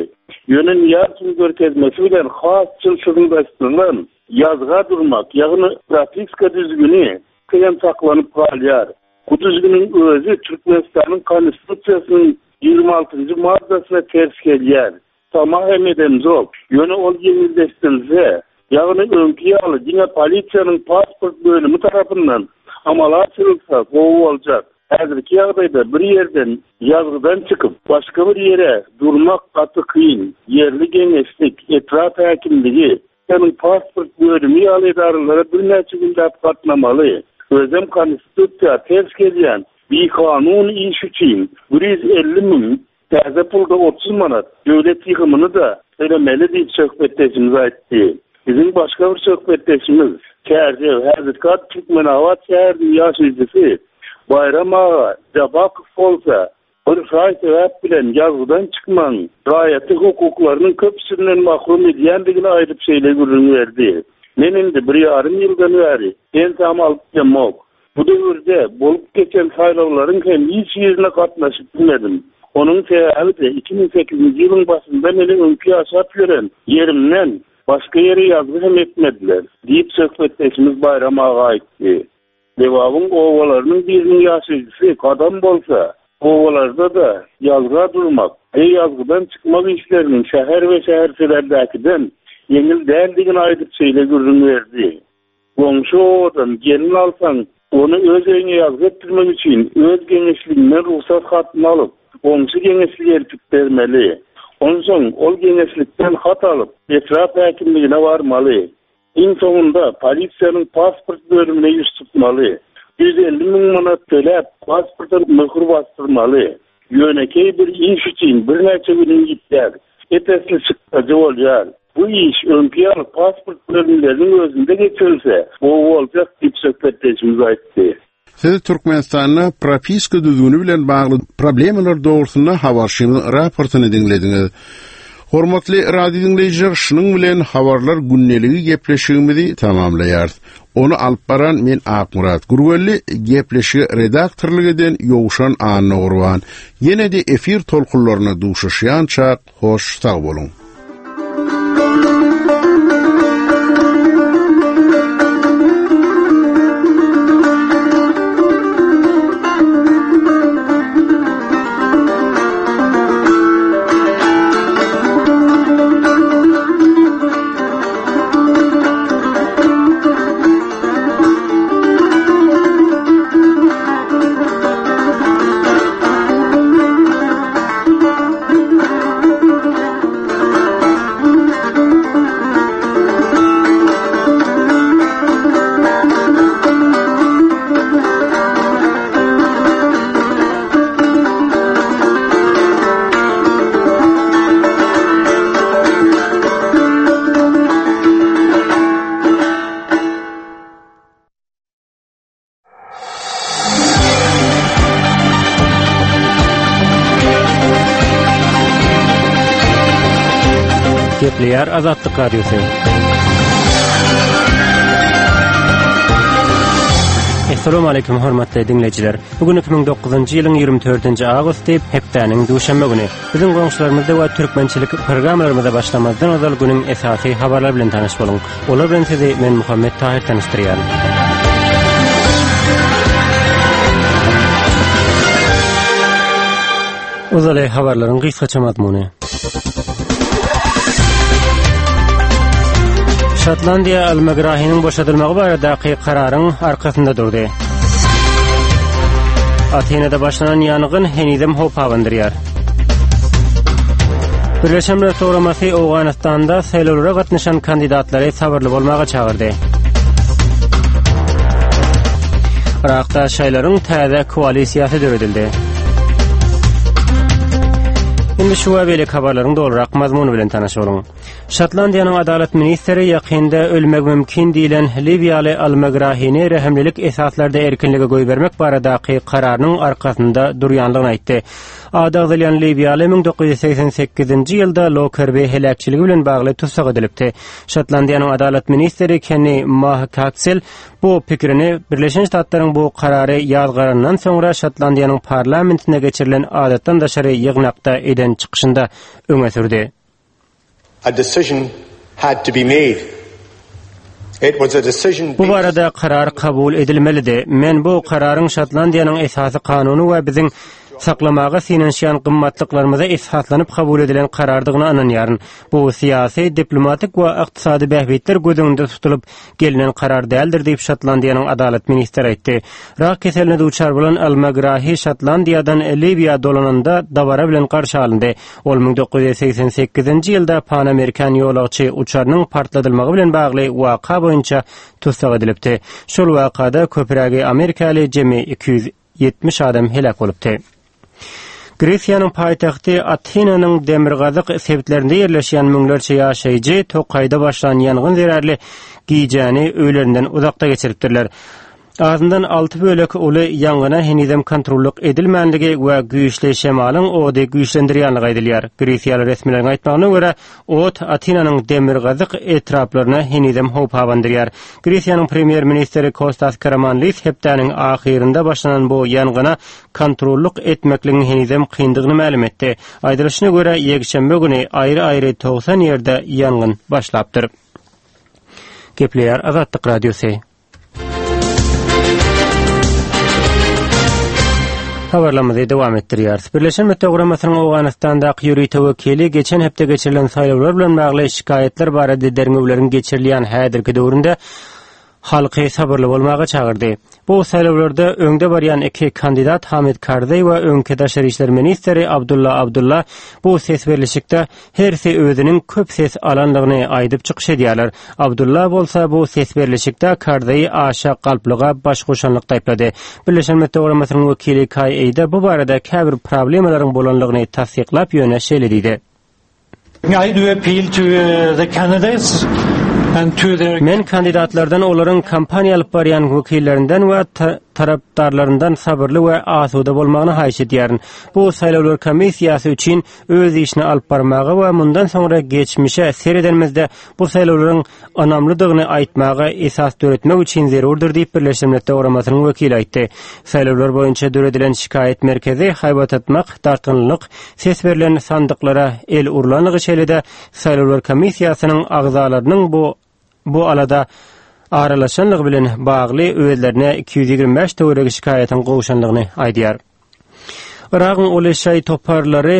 Ýöne Nyýazowyň görkezmesi bilen has çylşyrymlaşdyrylan ýazga durmak, ýagny propiska düzgüni hem saklanyp galýar. Bu düzgüniň özi Türkmenistanyň Konstitusiýasynyň ýigrimi altynjy maddasyna ters gelýär. Tama hem edemzok. Ýöne ol ýeňilleşdirilse, ýagny öňki ýaly diňe polisiýanyň pasport bölümi tarapyndan amala aşyrylsa gowy boljak. Häzirki ýagdaýda bir ýerden ýazgydan çykyp başga bir ýere durmak gaty kyn. Ýerli geňeşlik, etrap häkimligi, ýagny pasport bölümi ýaly edaralara birnäçe gündäp gatnamaly. Özem konstitusiýa ters gelýän bikanun iş üçin bir ýüz elli müň täze pulda otuz manat döwlet ýygymyny da tölemeli diýip söhbetdeşimiz aýtdy. Biziň başga bir söhbetdeşimiz Çärjew häzirki ady Türkmenabat şäheriniň ýaşaýjysy Baýram aga Jabakow bolsa bir şaý sebäp bilen ýazgydan çykmagyň raýaty hukuklarynyň köpüsinden mahrum edýändigini aýdyp şeýle gürrüň berdi. Men indi bir ýarym ýyldan bäri pensam alyp bilemok. Bu döwürde bolup geçen saýlawlaryň hem hiç birine gatnaşyp bilmedim. Onuň sebäbi-de iki müň sekizinji ýylyň başynda meni öňki ýaşap ýören ýerimden başga ýere ýazgy hem etmediler, diýip söhbetdeşimiz Baýram aga aýtdy. Lebabyň obalarynyň biriniň ýaşaýjysy Gadam bolsa, obalarda-da ýazga durmak we ýazgydan çykmak işleriniň şäher we şäherçelerdäkiden ýeňil däldigini aýdyp şeýle gürrüň berdi. Goňşy obadan gelin alsaň, ony öz öýüňe ýazgy etdirmek üçin öz geňeşliginden rugsat hatyny alyp, goňşy geňeşlige eltip bermeli. Onsoň ol geňeşlikden hat alyp, etrap häkimligine barmaly. Iň soňunda polisiýanyň pasport bölümine ýüz tutmaly. Ýüz elli müň manat töläp, pasporta möhür basdyrmaly. Ýönekeý bir iş üçin birnäçe günüň gitýär. Ep-esli çykdajy bolýar. Bu iş öňki ýaly pasport bölümleriniň özünde geçirilse, gowy boljak diýip söhbetdeşimiz aýtdy. Siz Türkmenistanda propiska düzgüni bilen bagly problemalar dogrusynda habarçymyzyň raportyny diňlediňiz. Hormatly radio diňleýjiler, şunuň bilen habarlar gündeligi gepleşigimizi tamamlaýarys. Ony alyp baran men Akmyrat Gurwelli, gepleşigi redaktorlyk eden Ýowşan Annagurban. Ýene de efir tolkunlaryna duşuşýança hoş sag boluň. Gepleýär Azatlyk Radiosy. Assalamu alaykum hormatly dinleýjiler. Bugün iki müň dokuzynjy ýylyň ýigrimi dördünji awgusty, hepdäniň duşenbe güni. Biziň goňşularymyzda we türkmençilik programmalarymyza başlamazdan ozal günüň esasy habarlar bilen tanyş boluň. Olar bilen sizi men Muhammet Tahir tanyşdyrýaryn. Ozaly habarlaryň gysgaça mazmuny. Şotlandiýa Al-Megrahiniň boşadylmagy baradaky kararyň arkasynda durdy. Atinada başlanan ýangyn henizem howp abandyrýar. Birleşen Milletler Guramasy Owganystanda saýlawlara gatnaşan kandidatlary sabyrly bolmaga çagyrdy. Irakda şaýlaryň täze koalisiýasy döredildi. Indi şu we beýleki habarlaryň dolurak mazmuny bilen tanyş boluň. Şotlandiýanyň adalat ministri ýakynda ölmek mümkin diýlen Liwiýaly Al-Megrahini rehimlilik esaslarda erkinlige goýbermek baradaky kararynyň arkasynda durýanlygyny aýtdy. Ady agzalýan Liwiýaly müň dokuz ýüz segsen sekizinji ýylda Lokerbi heläkçiligi bilen bagly tussag edilipdi. Şotlandiýanyň adalat ministri Kenny Mahkatsel bu pikirini Birleşen Ştatlaryň bu karary ýazgarandan soňra Şotlandiýanyň parlamentinde geçirilen adatdan daşary ýygnakda eden çykyşynda öňe sürdi. A decision had to be made. It was a decision Bu barada karar kabul edilmelidi. Men bu kararyň Şotlandiýanyň esasy kanuny we biziň saklamaga synanyşýan gymmatlyklarymyza esaslanyp kabul edilen karardygyna ynanýaryn. Bu syýasy, diplomatik we ykdysady bähbitler göz öňünde tutulyp gelinen karar däldir diýip Şotlandiýanyň adalat ministri aýtdy. Rak keseline duçar bolan Al-Megrahi Şotlandiýadan Liwiýa dolananda dabara bilen garşy alyndy. Ol müň dokuz ýüz segsen sekizinji ýylda Pan Amerikan ýolagçy uçarynyň partladylmagy bilen bagly waka boýunça tussag edilipdi. Şol wakada köprägi Amerikaly jemi iki ýüz ýetmiş adam heläk bolupdy. Gresiýanyň paýtagty Atinanyň demirgazyk sebitlerinde ýerleşýän müňlerçe ýaşaýjy tokaýda başlan ýangyn zerarly gijäni öýlerinden uzakda geçiripdirler. Azyndan alty bölek uly ýangyna henizem kontrollyk edilmänligi we güýçli şemalyň ody güýçlendirýänligi aýdylýar. Gresiýaly resmileriň aýtmagyna görä, ot Atinanyň demirgazyk etraplaryna henizem howp abandyrýar. Gresiýanyň premýer-ministri Kostas Karamanlis hepdäniň ahyrynda başlanan bu ýangyna kontrollyk etmekligiň henizem kyndygyny mälim etdi. Aýdylyşyna görä, ýekşenbe güni aýry-aýry togsan ýerde ýangyn başlapdyr. Gepleýär Azatlyk Radiosy. Habarlarymyzy dowam etdirýäris. Birleşen Milletler Guramasynyň Owganystandaky ýörite wekili geçen hepde geçirilen saýlawlar bilen bagly şikaýatlar barada derňewleriň geçirilýän häzirki döwründe halky sabyrly bolmaga çagyrdy. Bu saýlawlarda öňde barýan iki kandidat Hamid Karzai we öňki daşary işler ministri Abdullah Abdullah bu ses berlişikde hersi özüniň köp ses alanlygyny aýdyp çykyş edýärler. Abdullah bolsa bu ses berlişikde Karzai aşa galplyga baş goşanlyk taýplady. Birleşen Milletler Guramasynyň wekili Kai Eýde bu barada käbir problemalaryň bolanlygyny tassyklap ýöne şeýle diýdi. I do appeal to, uh, the candidates and to their Men kandidatlardan olaryň kampaniýa alyp barýan wekillerinden we ta-, Tarapdarlaryndan sabyrly we asuda bolmagyny haýyş edýärin. Bu saýlawlar komissiýasy üçin öz işini alyp barmaga we mundan soňra geçmişe seredenimizde bu saýlawlaryň ynamlydygyny aýtmaga esas döretmek üçin zerurdyr diýip Birleşen Milletler Guramasynyň wekili aýtdy. Saýlawlar boýunça döredilen şikaýat merkezi haýbat atmak, dartgynlyk, ses berlen sandyklara el urlanlygy şeýle-de saýlawlar komissiýasynyň agzalarynyň bu bu alada aralaşanlygy bilen bagly özlerine iki ýüz ýigrimi bäş töweregi şikaýatyň gowşanlygyny aýdýar. Yragyň uly şaý toparlary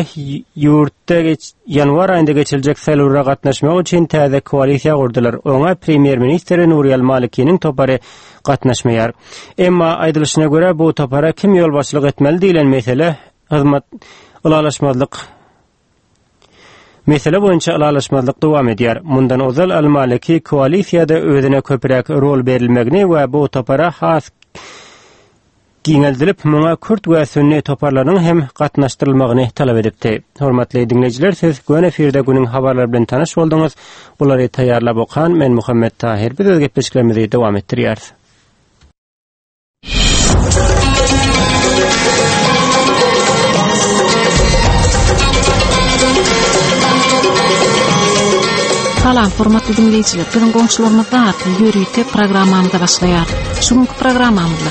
ýurtda ýanwar aýynda geçiriljek saýlawlara gatnaşmak üçin täze koalisiýa gurdular. Oňa premýer-ministri Nuri al-Malikiniň topary gatnaşmaýar. Emma aýdylyşyna görä bu topara kim ýolbaşçylyk etmeli diýlen mesele hyzmat ylalaşmazlyk Mesele boýunça ylalaşmazlyk dowam edýär. Mundan ozal al-Maliki koalisiýada özüne köpräk rol berilmegini we bu topara has giňeldilip, muňa kürt we sünni toparlarynyň hem gatnaşdyrylmagyny talap edipdi. Hormatly diňleýjiler, siz Göni efirde günüň habarlary bilen tanyş bolduňyz. Bulary taýýarlap okan men Muhammet Tahir. Biz öz gepleşiklerimizi dowam etdirýäris. Salam, hormatly dinleýjiler. Biziň goňşularymyzda atly ýörite programmamyza başlaýar. Şu günkü programmamyzda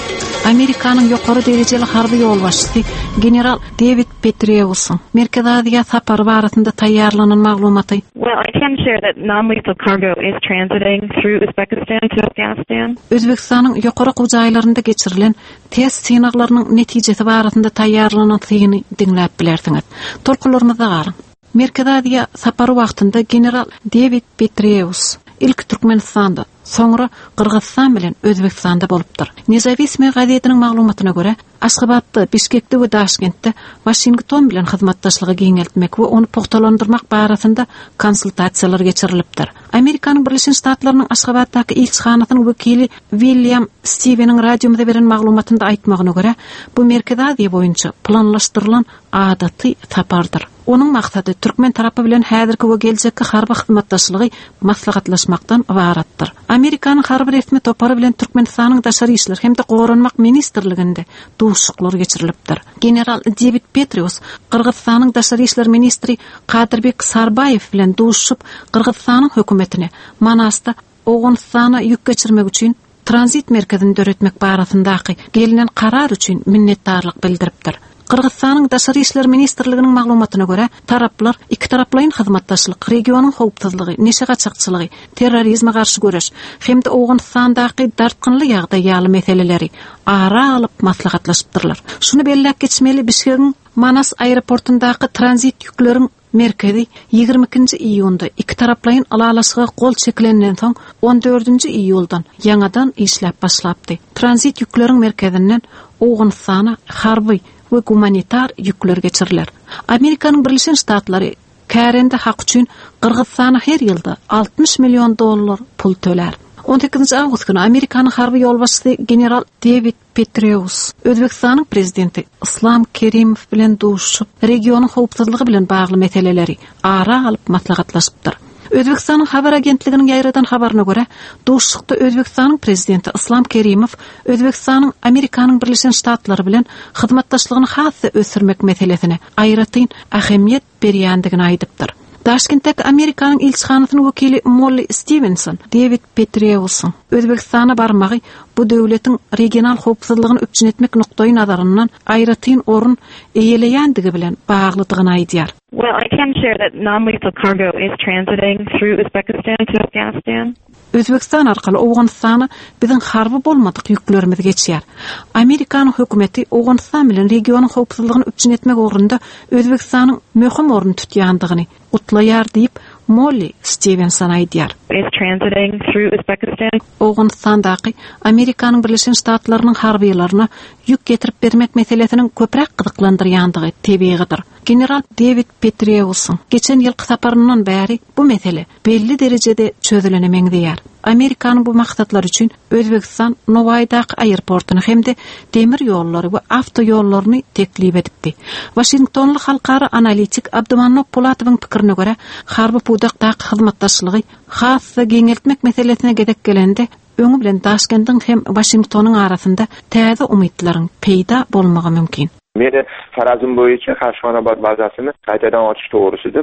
Amerikanyň ýokary derejeli harby ýolbaşçysy general David Petraeus'un Merkezi Aziýa sapary barasynda taýýarlanan maglumaty. Well, I can share that non-lethal cargo is transiting through Uzbekistan to Afghanistan. Özbekistanyň ýokary okuw jaýlarynda geçirilen test synaglarynyň netijesi barasynda taýýarlanan syny diňläp bilersiňiz. Tolkunlarymyzda galyň. Merkezi Aziýa sapary wagtynda general David Petraeus ilk Türkmenistanda, soňra Gyrgyzystan bilen Özbekistanda bolupdyr. Nezavismy gazetiniň maglumatyna görä, Aşgabatda, Bişkekde we Daşkentde Washington bilen hyzmatdaşlygy giňeltmek we ony pugtalandyrmak barasynda konsultasiýalar geçirilipdir. Amerikanyň Birleşen Ştatlarynyň Aşgabatdaky ilçihanasynyň wekili William Steveniň radiomyza beren maglumatynda aýtmagyna görä, bu Merkezi Aziýa boýunça planlaşdyrylan adaty sapardyr. Onuň maksady türkmen tarapy bilen häzirki we geljekki harby hyzmatdaşlygy maslahatlaşmakdan ybaratdyr. Amerikanyň harby resmi topary bilen Türkmenistanyň Daşary işler hem-de Goranmak ministrliginde duşuşyklar geçirilipdir. General David Petraeus Gyrgyzystanyň Daşary işler ministri Kadyrbek Sarbaýew bilen duşuşyp, Gyrgyzystanyň hökümetine Manasda Owganystana ýük geçirmek üçin tranzit merkezini döretmek barasyndaky gelinen karar üçin minnetdarlyk bildiripdir. Gyrgyzystanyň Daşary işler ministrliginiň maglumatyna görä, taraplar iki taraplaýyn hyzmatdaşlyk, regionyň howpsuzlygy, neşe gaçakçylygy, terrorizme garşy göreş hem-de Owganystandaky dartgynly ýagdaý ýaly meseleleri ara alyp maslahatlaşypdyrlar. Şuny belläp geçmeli, Bişkegiň Manas aeroportundaky tranzit ýükleriň merkezi ýigrimi ikinji iýunda iki taraplaýyn ylalaşyga gol çekilenden soň on dördünji iýuldan ýaňadan işläp başlapdy. Tranzit ýükleriň merkezinden Owganystana harby we gumanitar ýükler geçiriler. Amerikanyň Birleşen Ştatlary kärende hak üçin Gyrgyzystana her ýylda altmyş million dollar pul tölär. on sekizinji awgust güni Amerikanyň harby ýolbaşçysy general David Petraeus Özbekistanyň prezidenti Islam Kerimow bilen duşuşyp, regionyň howpsuzlygy bilen bagly meseleleri ara alyp maslahatlaşypdyr. Özbekistanyň habar agentliginiň ýaýradan habaryna görä, duşuşykda Özbekistanyň prezidenti Islam Kerimow Özbekistanyň Amerikanyň Birleşen Ştatlary bilen hyzmatdaşlygyny has-da ösdürmek meselesine aýratyn ähmiýet berýändigini aýdypdyr. Daşkentdäki Amerikanyň ilçihanasynyň wekili Molly Stevenson David Petraeus'un Özbekistana barmagy bu döwletiň regional howpsuzlygyny üpjün etmek nukdaý nazaryndan aýratyn orun eýeleýändigi bilen baglydygyny aýdýar. Well, I can share that non-lethal cargo is transiting through Uzbekistan to Afghanistan. Özbekistan arkaly Owganystana biziň harby bolmadyk ýüklerimiz geçýär. Amerikanyň hökümeti Owganystan bilen regionyň howpsuzlygyny üpjün etmek ugrunda Özbekistanyň möhüm orun tutýandygyny gutlaýar diýip Molly Stevenson aýdýar. Is transiting through Uzbekistan. Owganystandaky Amerikanyň Birleşen Ştatlarynyň harbylaryna ýük getirip bermek meselesiniň köpräk gyzyklandyrýandygy tebigydyr. General David Petraeus'un geçen ýylky saparyndan bäri bu mesele belli derejede çözülene meňzeýär. Amerikanyň bu maksatlary üçin Özbekistan Nowaýdaky aeroportuny hem-de demir ýollary we awto ýollaryny teklip edipdi. Washingtonly halkara analitik Abdumannop Polatowyň pikirine görä, harby pudakdaky hyzmatdaşlygy has-da giňeltmek meselesine gezek gelende Öňi bilen Daşkendiň hem Waşingtonyň arasynda täze umytlaryň peýda bolmagy mümkin. Meni farazim bo'yicha Qarshi-Xonobod bazasini qaytadan ochish to'g'risida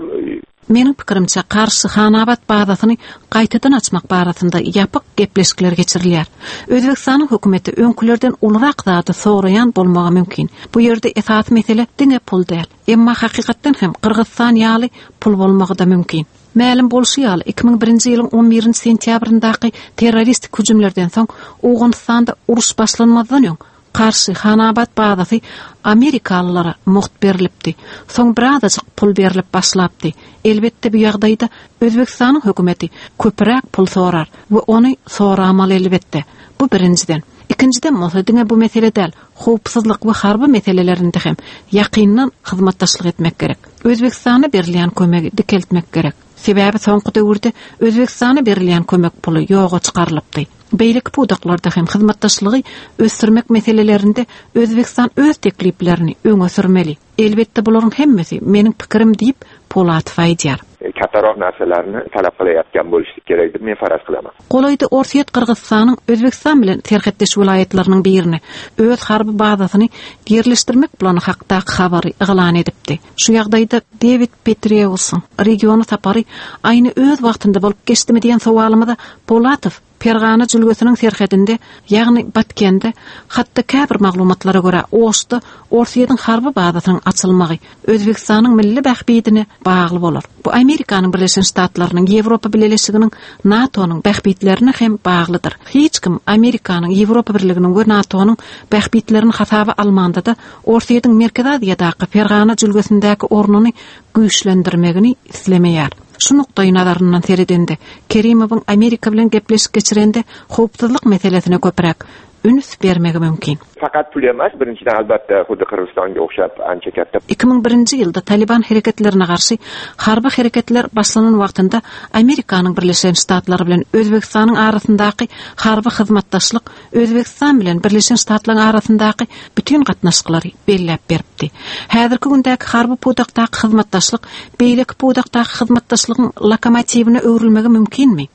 Meniň pikirimçe Qarshi-Xanabad bazasyny gaýtadan açmak barasynda ýapyk gepleşikler geçirilýär. Özbekistanyň hökümeti öňkülerden ulurak zady soraýan bolmagy mümkin. Bu ýerde esasy mesele diňe pul däl. Emma hakykatdan hem Gyrgyzystan ýaly pul bolmagy da mümkin. Mälim bolşy ýaly iki müň birinji ýylyň on birinji sentýabryndaky terroristik hüjümlerden soň Owganystanda uruş başlanmazdan öň Qarshi-Xanabad bazasy Amerikalylara mugt berilipdi. Soň birazajyk pul berilip başlapdy. Elbetde bu ýagdaýda Özbekistanyň hökümeti köpräk pul sorar we ony soramaly elbetde. Bu birinjiden. Ikinjiden bolsa diňe bu mesele däl, howpsuzlyk we harby meselelerinde hem ýakyndan hyzmatdaşlyk etmek gerek. Özbekistana berilýän kömegi dikeltmek gerek. Sebäbi soňky döwürde Özbekistana berilýän kömek puly ýoga çykarylypdy. Beýleki pudaklarda hem hyzmatdaşlygy ösdürmek meselelerinde Özbekistan öz tekliplerini öňe sürmeli. Elbetde bularyň hemmesi meniň pikirim diýip Polatow aýdýar. Kattaroq narsalarni talab qilayotgan bo'lishi kerak deb men faraz qilaman. Golaýda Orsýet Gyrgyzystanyň Özbekistan bilen serhetdeş welaýatlarynyň birini öz harby bazasyny ýerleşdirmek plany hakdaky habary yglan edipdi. Şu ýagdaýda David Petraeusyň regiony sapary aýny öz wagtynda bolup geçdimi diýen sowalymyza Polatow Fergana jülgesiniň serhedinde, ýagny Batkende, hatda käbir maglumatlara görä Oşda Orsýetiň harby bazasynyň açylmagy Özbekistanyň milli bähbidine bagly bolar. Bu Amerikanyň Birleşen Ştatlarynyň, Ýewropa Bileleşiginiň, NATO-nyň bähbitlerine hem baglydyr. Hiç kim Amerikanyň, Ýewropa Birliginiň we NATO-nyň bähbitlerini hasaba almanda-da Orsýetiň Merkezi Aziýadaky Fergana jülgesindäki ornuny güýçlendirmegini islemeýär. Şu nukdaý nazaryndan seredende, Kerimowyň Amerika bilen gepleşik geçirende howpsuzlyk meselesine köpräk üns bermegi mümkin. Faqat pul emas, birinchidan albatta xuddi Qirg'izistonga o'xshab ancha katta. Ikki ming birinji ýylda Taliban hereketlerine garşy harby hereketler başlanan wagtynda Amerikanyň Birleşen Ştatlary bilen Özbekistanyň arasyndaky harby hyzmatdaşlyk Özbekistan bilen Birleşen Ştatlaryň arasyndaky bütün gatnaşyklary belläp beripdi. Häzirki gündäki harby pudakdaky hyzmatdaşlyk beýleki pudakdaky hyzmatdaşlygyň lokomotiwine öwrülmegi mümkinmi?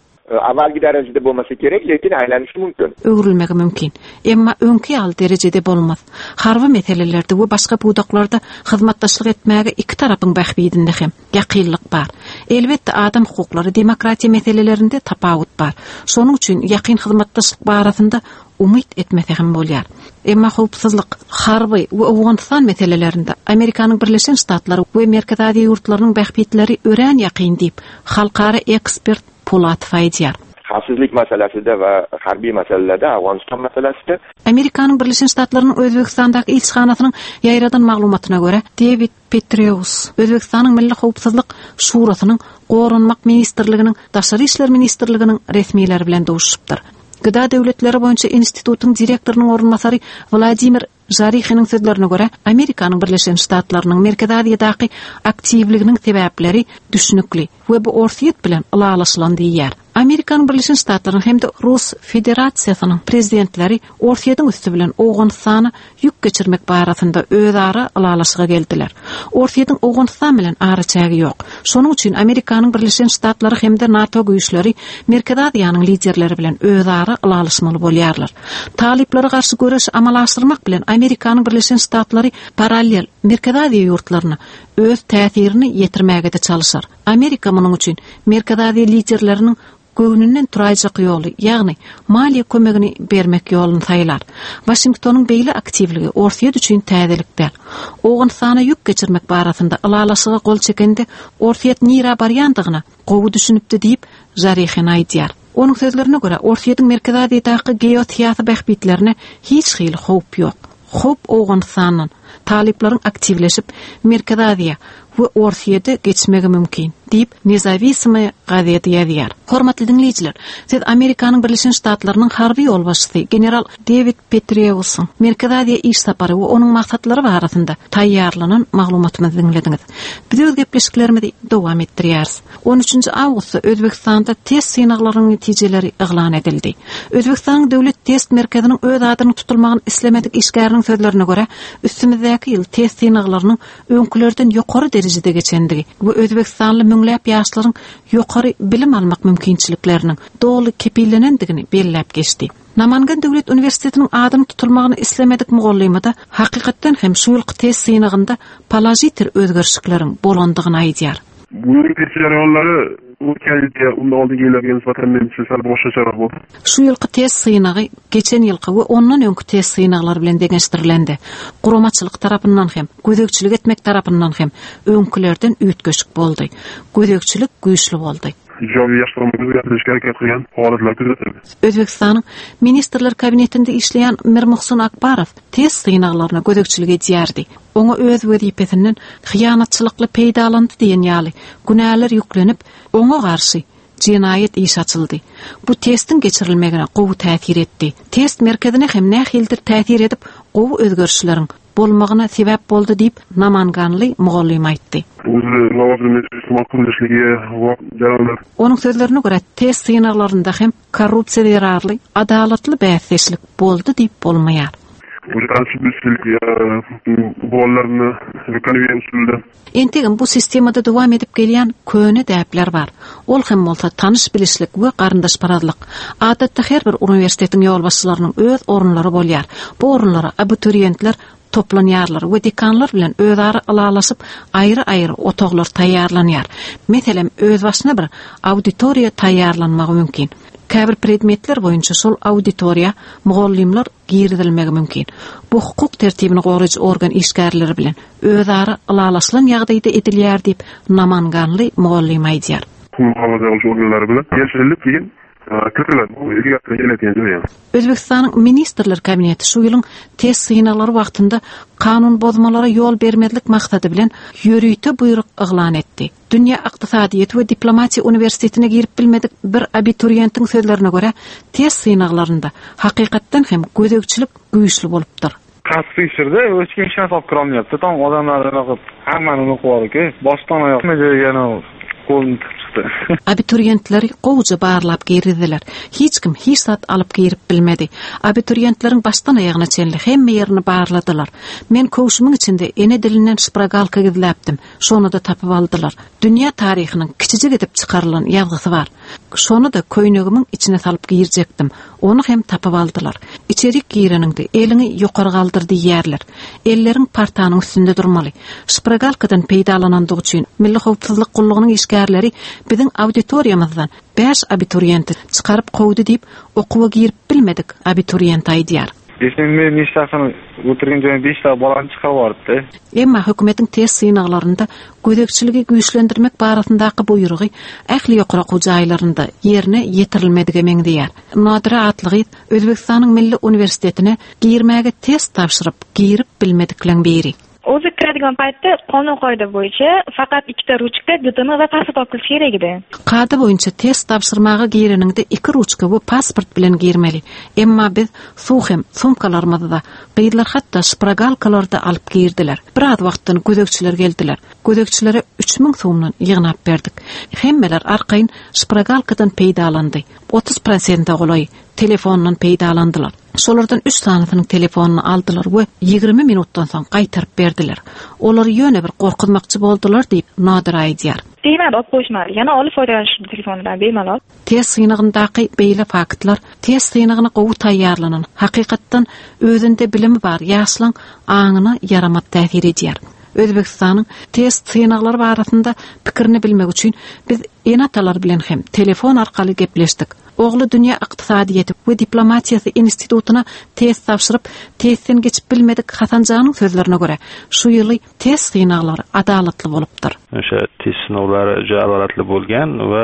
Avvalgi darajada bo'lmasa kerak, lekin aylanishi mumkin. Öwrülmegi mümkin. Emma öňki ýaly derejede bolmaz. Harby meselelerde we başga pudaklarda hyzmatdaşlyk etmäge iki tarapyň bähbidinde hem ýakynlyk bar. Elbetde adam hukuklary, demokratiýa meselelerinde tapawut bar. Şonuň üçin ýakyn hyzmatdaşlyk barasynda umyt etmese hem bolýar. Emma howpsuzlyk, harby we Owganystan meselelerinde Amerikanyň Birleşen Ştatlary we Merkezi Aziýa ýurtlarynyň bähbitleri örän ýakyn diýip, halkara ekspert Polatow aýdýar. Xavfsizlik masalasida va harbiy masalalarda, Afg'oniston masalasida Amerikanyň Birleşen Ştatlarynyň Özbekistandaky ilçihanasynyň ýaýradan maglumatyna görä, David Petraeus Özbekistanyň Milli Howpsuzlyk Şurasynyň Goranmak Ministrliginiň Daşary İşler Ministrliginiň resmileri bilen duşupdyr. Gıda Döwletleri boýunça institutyň direktorynyň orunbasary Wladimir Jarihiniň sözlerine görä, Amerikanyň Birleşen Ştatlarynyň Merkezi Aziýadaky aktiwliginiň sebäpleri düşünikli we bu Orsýet bilen ylalaşylan diýýär. Amerikanyň Birleşen Ştatlarynyň hem-de Rus Federasiýasynyň prezidentleri Orsýetiň üsti bilen Owganystana ýük geçirmek barasynda özara ylalaşyga geldiler. Orsýetiň Owganystan bilen araçägi ýok. Şonuň üçin Amerikanyň Birleşen Ştatlary hem-de NATO güýçleri Merkezi Aziýanyň liderleri bilen özara ylalaşmaly bolýarlar. Talyplara garşy göreş amala aşyrmak bilen Amerikanyň Birleşen Ştatlary parallel Merkezi Aziýa ýurtlaryna öz täsirini ýetirmäge-de çalyşar. Amerika munuň üçin Merkezi Aziýa liderleriniň göwnünden turaýjak ýoly, ýagny maliýe kömegini bermek ýoluny saýlar. Waşingtonyň beýle aktiwligi Orsýet üçin täzelik däl. Owganystana ýük geçirmek barasynda ylalaşyga gol çekende Orsýet nirä barýandygyna gowy düşünipdi diýip Jarihin aýdýar. Onuň sözlerine görä Orsýetiň Merkezi Aziýadaky geosyýasy bähbitlerine hiç hili howp ýok. Howp Owganystandan talyplaryň aktiwleşip Merkezi Aziýa we Orsýete geçmegi mümkin diýip Nezawisimoye gazeti ýazýar. Hormatly dinleýjiler, siz Amerikanyň Birleşen Ştatlarynyň harby ýolbaşçysy general David Petraeusyň Merkezi Aziýa iş sapary we onuň maksatlary barasynda taýýarlanan maglumatymyzy diňlediňiz. Biz öz gepleşiklerimizi dowam etdirýäris. on üçünji awgustda Özbekistanda test synaglarynyň netijeleri yglan edildi. Özbekistanyň Döwlet Test Merkeziniň öz adynyň tutulmagyny islemedik işgäriniň sözlerine görä, üstümizdäki ýyl test synaglarynyň öňkülerden ýokary derejede derejede geçendigi we Özbegistanly müňläp ýaşlaryň ýokary bilim almak mümkinçilikleriniň doly kepillenendigini belläp geçdi. Namangan Döwlet Uniwersitetiniň adyny tutulmagyny islemedik mugallymy-da hakykatdan hem şu ýylky test synagynda položitel özgerişlikleriň bolandygyny aýdýar. Bu ýylky test jarayonlary o'tgan yilgi undan oldingi yillarga nisbatan menimcha sal boshqacharoq bo'ldi. Şu ýylky test synagy geçen ýylky we ondan öňki test synaglary bilen deňeşdirilende, guramaçylyk tarapyndan hem, gözegçilik etmek tarapyndan hem öňkülerden üýtgeşik boldy. Gözegçilik güýçli boldy. Ijobiy yaxshi tomonga o'zgartirishga harakat qilgan holatlar kuzatildi. Özbegistanyň Ministrler Kabinetinde işleýän Mirmuhsin Akbarow test synaglaryna gözegçilik edýärdi. Oňa öz wezipesinden hyýanatçylykly peýdalandy diýen ýaly günäler ýüklenip, oňa garşy jenaýat iş açyldy. Bu testiň geçirilmegine gowy täsir etdi. Test merkezine hem nähilidir täsir edip, gowy özgerişleriň bolmagyna sebäp boldy diýip Namanganly mugallym aýtdy. O'zi lavozimini iste'mol qilinishligiga jarayonlar Onuň sözlerine görä test synaglarynda hem korrupsiýa zerarly adalatly bäsdeşlik boldy diýip bolmaýar. O'sha tanish bilishlik bolalarni konveyer usulida Entegem bu sistemada dowam edip gelýän köne däpler bar. Ol hem bolsa tanyş bilişlik we garyndaşparazlyk. Adatda her bir uniwersitetiň ýolbaşçylarynyň öz orunlary bolýar. Bu orunlara abituriýentler toplanýarlar we dekanlar bilen özara ylalaşyp aýry-aýry otaglar taýýarlanýar. Meselem, özbaşyna bir auditoriýa taýýarlanmagy mümkin. Käbir predmetler boýunça şol auditoriýa mugallymlar girizilmegi mümkin. Bu hukuk tertibini goraýjy organ işgärleri bilen özara ylalaşylan ýagdaýda edilýär diýip Namanganly mugallym aýdýar. Huquq muhofaza organlari bilan kelishilib keyin kiritiladi. Bu kelayotgan jarayon. Özbegistanyň Ministrler Kabineti şu ýylyň test synaglary wagtynda kanun bozmalara ýol bermezlik maksady bilen ýörite buýruk yglan etdi. Dünýä Ykdysadyýet we Diplomatiýa uniwersitetine girip bilmedik bir abituriýentiň sözlerine görä, test synaglarynda hakykatdan hem gözegçilik güýçli bolupdyr. Qattiq tekshirdi, hech kim hech narsa olib kirolmayapti. Tam odamlar anaqa hammani unuqib borku, boshdan oyoq hamma joyga qo'lini tiqib chiqdi. Abituriýentleri gowja barlap girizdiler. Hiç kim hiç zat alyp girip bilmedi. Abituriýentleriň başdan aýagyna çenli hemme ýerini barladylar. Men köwşümiň içinde ene dilinden şpragalka gizläpdim. Şony da tapyp aldylar. Dünýä taryhynyň kiçijik edip çykarylan ýazgysy bar. Şony da köýnegimiň içine salyp girjekdim. Ony hem tapyp aldylar. Içerik gireniňde eliňi ýokary galdyr diýýärler. Elleriň partanyň üstünde durmaly. Şpragalkadan peýdalanandygy üçin Milli Howpsuzlyk gullugynyň işgärleri biziň auditoriýamyzdan bäş abituriýenti çykaryp kowdy diýip, okuwa girip bilmedik abituriýent aýdýar. Esimde nechtasini o'tirgan joyim beshta bolani chiqarib yuboribdi. Emma hökümetiň test synaglarynda gözegçiligi güýçlendirmek barasyndaky buýrugy ähli ýokary okuw jaýlarynda ýerine ýetirilmedige meňzeýär. Nadira atly gyz Özbegistanyň Milli Uniwersitetine girmäge test tabşyryp, girip bilmedikleň biri. O'zi kiradigan paytda qonun qoida bo'yicha faqat ikkita ruchka, D D M va pasport olib kirish kerak edi. Kada boýunça test tabşyrmaga gireniňde iki ruçka we pasport bilen girmeli. Emma biz suw hem sumkalarymyzda, gyzlar hatda şpragalkalarda alyp girdiler. Biraz wagtdan gözegçiler geldiler. Gözegçilere üç müň so'mdan ýygnap berdik. Hemmeler arkaýyn şpragalkadan peýdalandy. Otuz prosente golaý telefondan peýdalandylar. Şolardan üç sanysynyň telefonyny aldylar we ýigrimi minutdan soň gaýtaryp berdiler. Olary ýöne bir gorkuzmakçy boldular diýip Nadira aýdýar. Diýmedi, alyp goýuşmady. Ýana ol foýdalanýan telefondan bemalol. Test synagyndaky beýle faktlar test synagyna gowy taýýarlanan, hakykatdan özünde bilimi bar ýaşlaryň aňyna ýaramat täsir edýär. Özbegistanyň test synaglary barasynda pikirini bilmek üçin biz ene-atalar bilen hem telefon arkaly gepleşdik. Ogly Dünýä Ykdysadyýeti we Diplomatiýasy institutyna test tabşyryp, testden geçip bilmedik Hasanjanyň sözlerine görä, şu ýyly test synaglary adalatly bolupdyr. O'sha test sinovlari juda adolatli bo'lgan va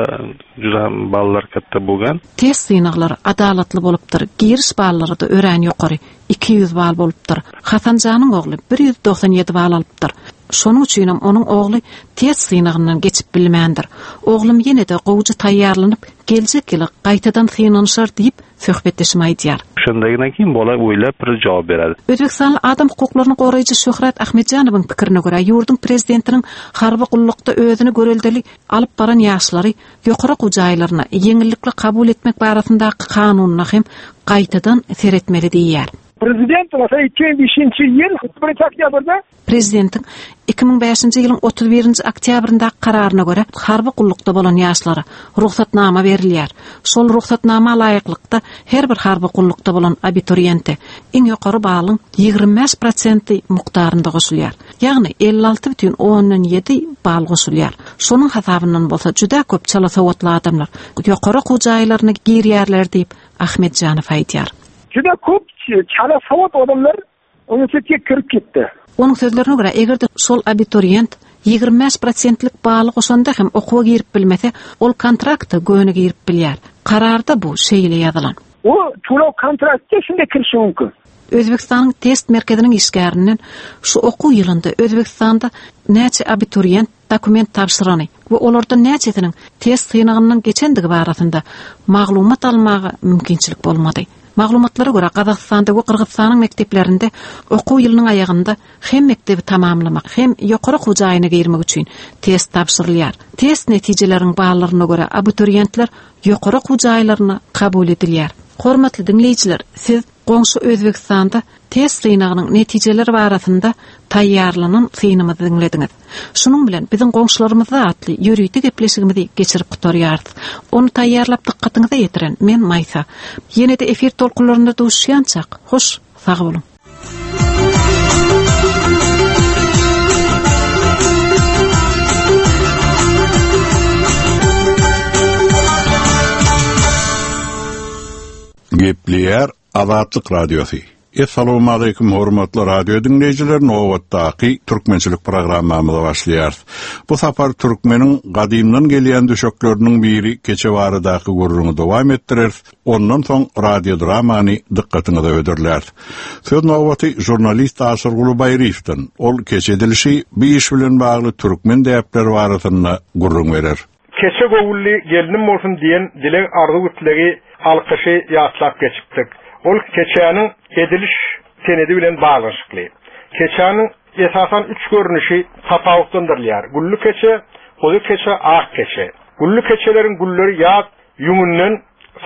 juda ham ballar katta bo'lgan. Test synaglary adalatly bolupdyr. Giriş ballary da örän ýokary, iki ýüz bal bolupdyr. Hasanjanyň ogly bir ýüz doksan ýedi bal alypdyr. Şonuň üçin hem onuň ogly test synagyndan geçip bilmändir. Oglum ýene-de gowja taýýarlanyp, geljek ýyly gaýtadan synanyşar diýip söhbetdeşim aýdýar. Shundan keyin bola o'ylab bir javob beradi. Özbekistanly adam hukuklaryny goraýjy Şöhrat Ahmedjanowyň pikirine görä, ýurduň prezidentiniň harby gullukda özüni göreldeli alyp baran ýaşlary ýokary okuw jaýlaryna ýeňillikli kabul etmek barasyndaky kanunyna hem gaýtadan seretmeli diýýär. Prezident bolsa iki müň beşinji ýyl birinji oktýabrda Prezidentiň iki müň beşinji ýylyň otuz birinji oktýabryndaky kararyna görä harby gullukda bolan ýaşlara ruhsatnama berilýär. Şol ruhsatnama laýyklykda her bir harby gullukda bolan abituriýente iň ýokary balyň ýigrimi bäş prosenti mukdarynda goşulýar. Ýagny elli alty bütin ondan ýedi bal goşulýar. Şonuň hasabyndan bolsa juda köp çala sowatly adamlar ýokary okuw jaýlaryna girýärler diýip Ahmetjanow aýdýar. Juda köp çala sowat adamlar uniwersitetge kirip ketdi. Onuň sözlerine görä, eger-de şol abituriyent ýigrimi bäş prosentlik baly goşanda hem okuwa girip bilmese, ol kontrakta göni girip bilýär. Kararda bu şeýle ýazylan. O to'lov kontraktga shunday kirishi mumkin. Özbekistanyň test merkeziniň işgärinden şu okuw ýylynda Özbekistanda näçe abituriyent dokument tabşyrany we olardan näçesiniň test synagyndan geçendigi barasynda maglumat almaga mümkinçilik bolmady. Maglumatlara görä Gazagystanda we Gyrgyzystanyň mekdeplerinde okuw ýylynyň aýagynda hem mekdebi tamamlamak, hem ýokary okuw jaýyna girmek üçin test tabşyrylýar. Test netijeleriniň ballaryna görä abituriyentler ýokary okuw jaýlaryna kabul edilýär. Hormatly diňleýjiler, siz goňşy Özbekistanda test synagynyň netijeleri barasynda taýýarlanan synymyzy diňlediňiz. Şunuň bilen biziň goňşularymyzda atly ýörite gepleşigimizi geçirip gutarýarys. Ony taýýarlap dykgatyňyza ýetiren men Maýsa. Ýene-de efir tolkunlarynda duşuşýançak, hoş, sag boluň. Gepleýär Azatlyk Radiosy. Essalamu aleýkum hormatly radio dinleýjiler, nobatdaky türkmençilik programmamyza başlaýarys. Bu sapar türkmeniň gadymdan gelýän düşekleriniň biri keçe baradaky gürrüňi dowam etdireris. Ondan soň radio dramany dykgatyňyza hödürläris. Söz nobaty jurnalist Aşyrguly Baýryýewden. Ol keçe edilişi bir iş bilen bagly türkmen däpleri barasynda gürrüň berer. Keçe gowully gelinim bolsun diýen dileg arzuw islegi alkyşy ýatlap geçipdik. Ol keçäniň ediliş senedi bilen baglanyşykly. Keçäniň esasan üç görnüşi tapawutlandyrylýar. Gülli keçe, goýy keçe, ak keçe. Gülli keçeleriň gülleri ýaz ýüňünden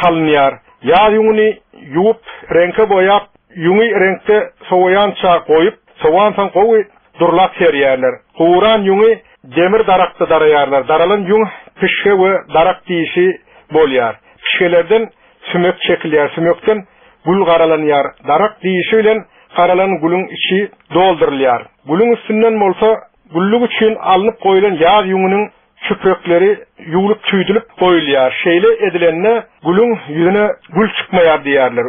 salynýar. Ýaz ýüňüni ýuwup, reňke boýap, ýüňi reňkde sowaýança goýup, sowansoň gowy durlap serýärler. Guran ýüňi demir darakda daraýarlar. Daralan ýüň pişge we darak diýişi bolýar. Pişgelerden sümek çekilýär, sümekden gül garalanýar. Darak diýişi bilen garalan gülüň içi doldurylýar. Gülüň üstünden bolsa güllük üçin alnyp goýlan ýaz ýüňüniň çüprekleri ýuwlup tüýdülip goýulýar. Şeýle edilende gülüň ýüzüne gül çykmaýar diýärler.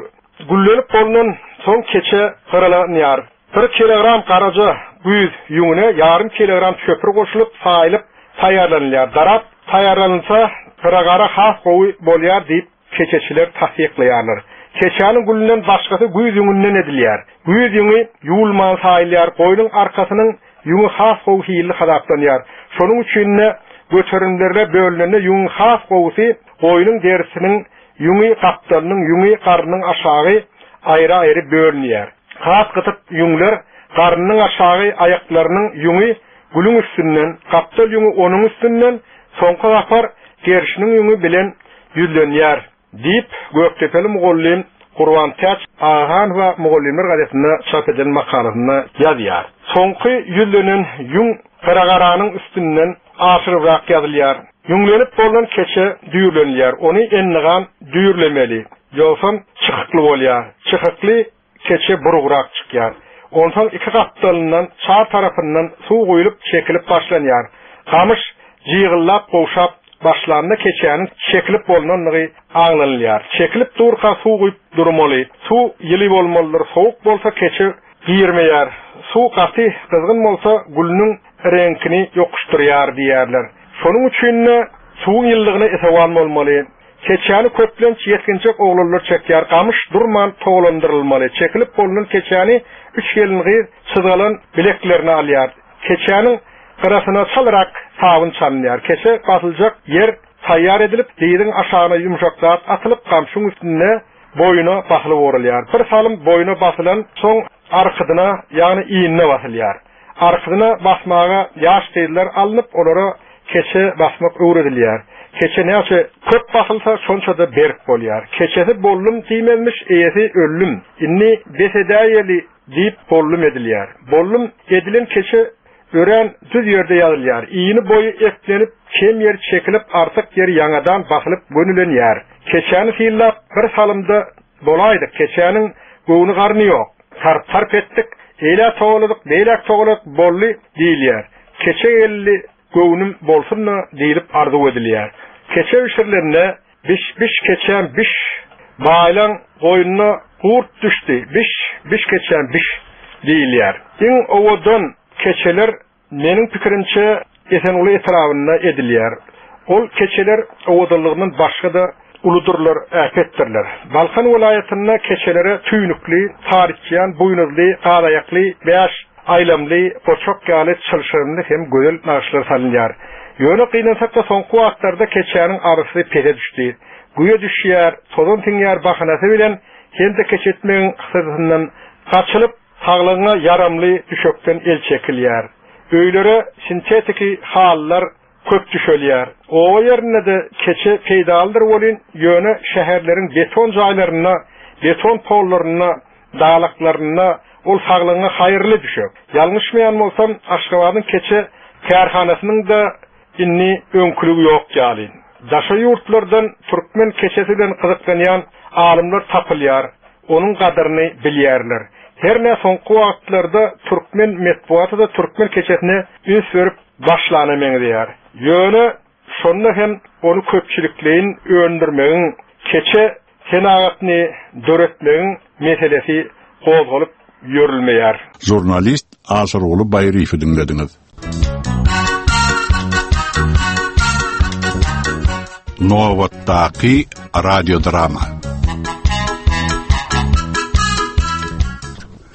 Güllenip bolunan soň keçe garalanýar. Bir kilogram garaja güýz ýüňüne ýarym kilogram çöpür goşulyp saýylyp taýýarlanylýar. Darap taýýarlanylsa gyragara has gowy bolýar diýip keçeçiler tassyklaýarlar. Keçäniň gülünden başgasy güýz ýüňünden edilýär. Güýz ýüňi ýuwulman saýylýar, goýnuň arkasynyň ýüňi has gowy hilli hasaplanýar. Şonuň üçin-de göterimlerle bölünende ýüňüň has gowusy goýnuň derisiniň ýüňi gapdalynyň ýüňi garnyň aşagy aýry-aýry bölünýär. Has gytyk ýüňler garnyň aşagy aýaklarynyň ýüňi gülüň üstünden, gapdal ýüňi onuň üstünden, soňky sapar gerşiniň ýüňi bilen ýüzlenýär diýip Gökdepeli mugallym Gurban Täç Agahanowa Mugallymlar gazetinde çap edilen makalasynda ýazýar. Soňky ýüzlenen ýüň garagaranyň üstünden aşyrybrak ýazylýar. Ýüňlenip bolan keçe düýrlenilýär. Ony endigan düýrlemeli. Ýogsam çykykly bolýar. Çykykly keçe burugrak çykýar. Onsoň iki gapdalyndan çar tarapyndan suw guýulyp çekilip başlanýar. Gamyş jygyllap gowşap başlanda keçäniň çekilip bolunandygy aňlanylýar. Çekilip durka suw guýup durmaly. Suw ýyly bolmalydyr. Sowuk bolsa keçe girmeýär. Suw gaty gyzgyn bolsa gülüniň reňkini ýokuşdyrýar diýärler. Şonuň üçin-de suwuň ýyllygyna esewan bolmaly. Keçäni köplenç ýetginjek oglanlar çekýär. Gamyş durman togalandyrylmaly. Çekilip bolunan keçäni üç gelin gyz çyzgalan bileklerine alýar. Keçäniň gyrasyna çalyrak sabyn çalynýar. Keçe basyljak ýer taýýar edilip, diziň aşagyna ýumşak zat atylyp, gamşyň üstünde boýuna basylyp urulýar. Bir salym boýuna basylan soň arkadyna, ýagny iýnine basylýar. Arkadyna basmaga ýaş gyzlar alnyp, olara keçe basmak öwredilýär. Keçe näçe köp basylsa şonça-da berk bolýar. Keçesi bollum diýmezmiş, eýesi öllüm. Indi bes edäýeli diýip bollum edilýär. Bollum edilen keçe örän düz ýerde ýazylýar. Iýni boýy eplenip, kem ýer çekilip, artyk ýer ýaňadan basylyp gönülenýär. Keçäni synlap bir salymda bolaýdyk. Keçäniň göwni garny ýok. Tarp-tarp etdik, eýlä togaladyk, beýläk togaladyk, bolly diýilýär. Keçe geldi, göwnüm bolsun-da diýlip arzuw edilýär. Keçe bişirilende biş biş keçäm biş, baýlaň goýnuna gurt düşdi, biş biş keçäm biş diýilýär. Iň owadan keçeler meniň pikirimçe Esenguly etrabynda edilýär. Ol keçeler owadanlygyndan başga-da uludyrlar, äpetdirler. Balkan welaýatynda keçelere tüýnükli, taryçýan, buýnuzly, galaýakly, bäş aýlamly, goçak ýaly çylşyrymly hem gözel nagyşlar salynýar. Ýöne gynansak-da soňky wagtlarda keçäniň arysy pese düşdi. Güýe düşýär, tozan siňýär bahanasy bilen hem-de keçetmegiň hysyrtysyndan gaçylyp, saglygyňa ýaramly düşekden el çekilýär. Öýlere sintetiki halylar köp düşelýär. Oba ýerinde-de keçe peýdalydyr welin, ýöne şäherleriň beton jaýlarynda, beton pollarynda, dalaklarynda ol saglygyňa haýyrly düşek. Ýalňyşmaýan bolsam, Aşgabadyň keçe kärhanasynyň-da indi öňküligi ýok ýaly. Daşary ýurtlardan türkmen keçesi bilen gyzyklanýan alymlar tapylýar, onuň gadyryny bilýärler. Her ne soňky wagtlarda türkmen metbugaty-da türkmen keçesine üns berip başlana meňzeýär. Ýöne şonda hem ony köpçülikleýin öndürmegiň, keçe senagatyny döretmegiň meselesi gozgalyp ýörülmeýär. Žurnalist Aşyrguly Baýryýewi diňlediňiz. Nobatdaky radiodrama.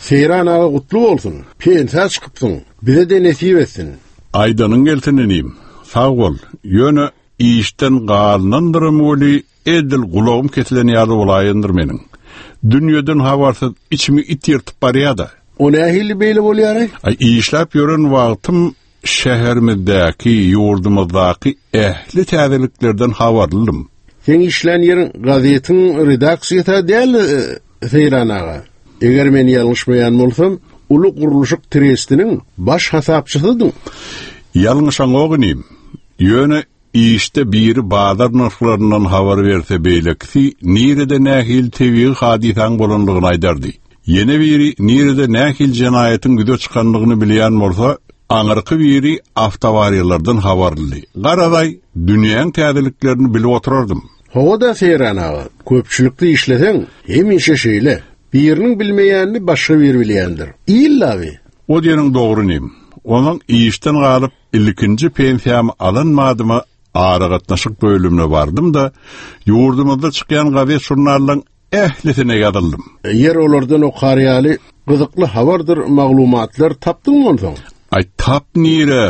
Seýran aga gutly bolsun. Pensiýa çykypsyň. Bize-de nesip etsin. Aýdanyň gelsin inim. Sag bol. Ýöne işden galynandyrym weli edil gulagym kesilen ýaly bolaýyndyr meniň. Dünýeden habarsyz içimi it ýyrtyp barýar-da. O nähili beýle bolýar-aý? Aý, işläp ýören wagtym şäherimizdäki, ýurdumyzdaky ähli täzeliklerden habarlydym. Sen işlän ýeriň gazetiň redaksiýasy däl, e, Seýran aga. Eger men ýalňyşmaýan bolsam, uly gurluşyk trestiniň baş hasapçysydyň. Ýalňyşaňok inim. Ýöne işde biri bazar nyrhlaryndan habar berse beýlekisi nirede nähili tebigy hadysaň bolandygyny aýdardy. Ýene biri nirede nähili jenaýatyň ýüze çykandygyny bilýän bolsa, aňyrky biri awtoawariýalardan habarlydy. Garaday, dünýäň täzeliklerini bilip oturardym. Hawa-da Seýran aga, köpçülikde işleseň, hemişe şeýle. Biriniň bilmeýänini başga biri bilýändir. Illa bi. O diýeniň dogry inim. Onuň işden galyp ilkinji pensiýamy alan madyma aragatnaşyk bölümine bardym-da, ýurdumyzda çykýan gazet žurnallaryň ählisine ýazyldym. Ýer olardan okar ýaly gyzykly habardyr maglumatlar tapdyň onsoň? Aý, tap nire?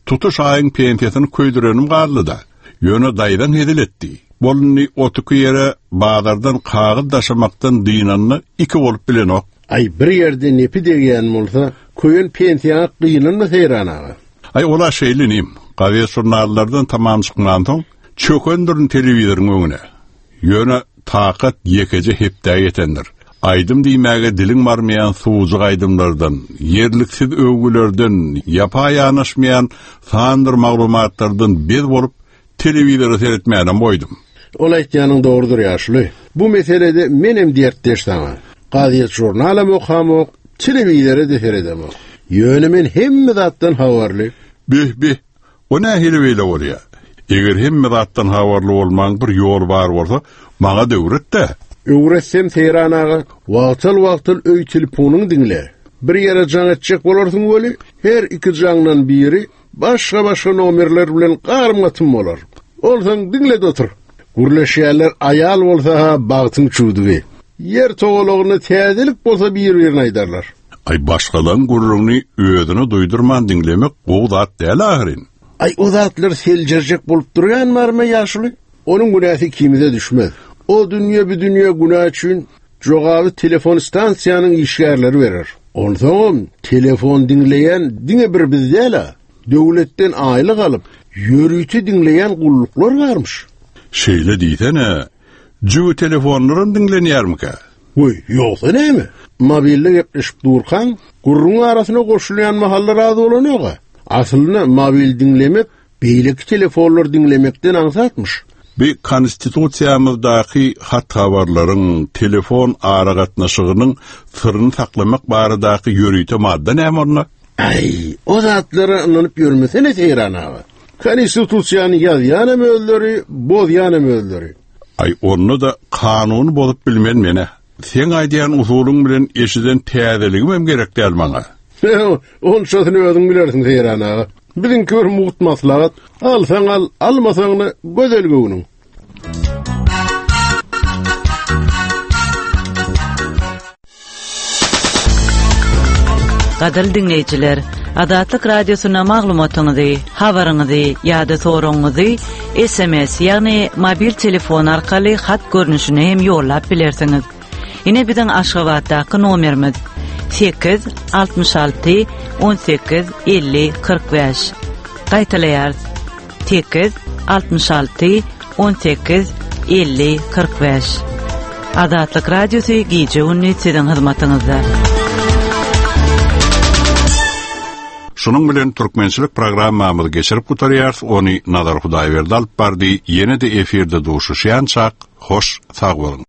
Tutuş aýyň pensiýasyny köýdürenim galdy-da. Ýöne daýdan hezil etdi. Bolundy otuky ýere bazardan kagyz daşamakdan dynanyna iki bolup bilenok. Aý, bir ýerde nepi degýän bolsa, köýen pensiýaňa gynanma Seýran aga. Aý, ola şeýle inim. Gazet žurnallardan tamam çykmansoň, çökendirin telewizoryň öňüne. Ýöne takat ýekeje hepdä ýetendir. Aýdym diýmäge diliň barmaýan suwujyk aýdymlardan, ýerliksiz öwgülerden, ýapa ýanaşmaýan sandyr maglumatlardan bez bolup telewizora seyretmänem goýdum. Ol aýtýanyň dogrudyr ýaşuly. Bu meselede menem dertdeş saňa. Gazet žurnalam okamok, telewizora da seredemok. Ýöne men hemme zatdan habarly. Bih bih, o nähili beýle bolýar? Eger hemme zatdan habarly bolmaň bir ýol bar bolsa, maňa da öwret-de. Öwretsem Seýran aga, wagtal-wagtal öý telefonyň diňle. Bir ýere jaň etjek bolarsyň weli, her iki jaňdan biri başga-başga nomerler bilen garym-gatym bolar. Olsaň diňle otur. Gürleşýärler aýal bolsa ha bagtyň çüwdügi. Ýer togalagyny täzelik bolsa bir-birine aýdarlar. Aý, başgalaryň gürrüňini özüne duýdurman diňlemek gowy zat däl ahyryn. Aý, o zatlar seljerjek bolup durýan barmy ýaşuly? Onuň günäsi ikimize düşmez. O dünýe bu dünýe günä üçin jogaby telefon stansiýanyň işgärleri berer. Onsoňam telefon diňleýän diňe bir biz däl-a. Döwletden aýlyk alyp, Ýörite diňleýän gulluklar barmyş. Şeýle diýsene, jübi telefonlaram diňlenýärmikä? Goý, ýogsa näme? Mobilde gepleşip durkaň, gürrüň arasyna goşulýan mahallar az bolanok-a. Aslynda mobil diňlemek beýleki telefonlar diňlemekden aňsatmyş. Bi konstitusiýamyzdaky hat habarlaryň, telefon aragatnaşygynyň syryny saklamak baradaky ýörite madda näme onda? Aý, o zatlara ynanyp ýörmesene Seýran aga. Konstitusiýany ýazýanam özleri, bozýanam özleri. Aý, onda-da kanuny bozup bilmen men-ä. Seň aýdýan usulyň bilen eşiden täzeligimem gerek däl maňa. Onçasyny özüň bilersiň Seýran aga. Biziňki bir mugt maslahat. Alsaň al, almasaň-da gözel göwnüň. Gadyrly diňleýjiler, Azatlyk Radiosyna maglumatyňyzy, habaryňyzy ýa-da soragyňyzy S M S, ýagny mobil telefon arkaly hat görnüşinde hem ýollap bilersiňiz. Ine biziň Aşgabatdaky nomerimiz: sekiz altmyş alty on sekiz elli kyrk bäş. Gaýtalaýarys: sekiz altmyş alty on sekiz elli kyrk bäş. Azatlyk Radiosy gije gündüz siziň hyzmatyňyzda. Şunuň bilen türkmençilik programmamyzy geçirip gutarýarys. Ony Nazar Hudaýberdi alyp bardy. Ýene-de efirde duşuşýançak, hoş sag boluň.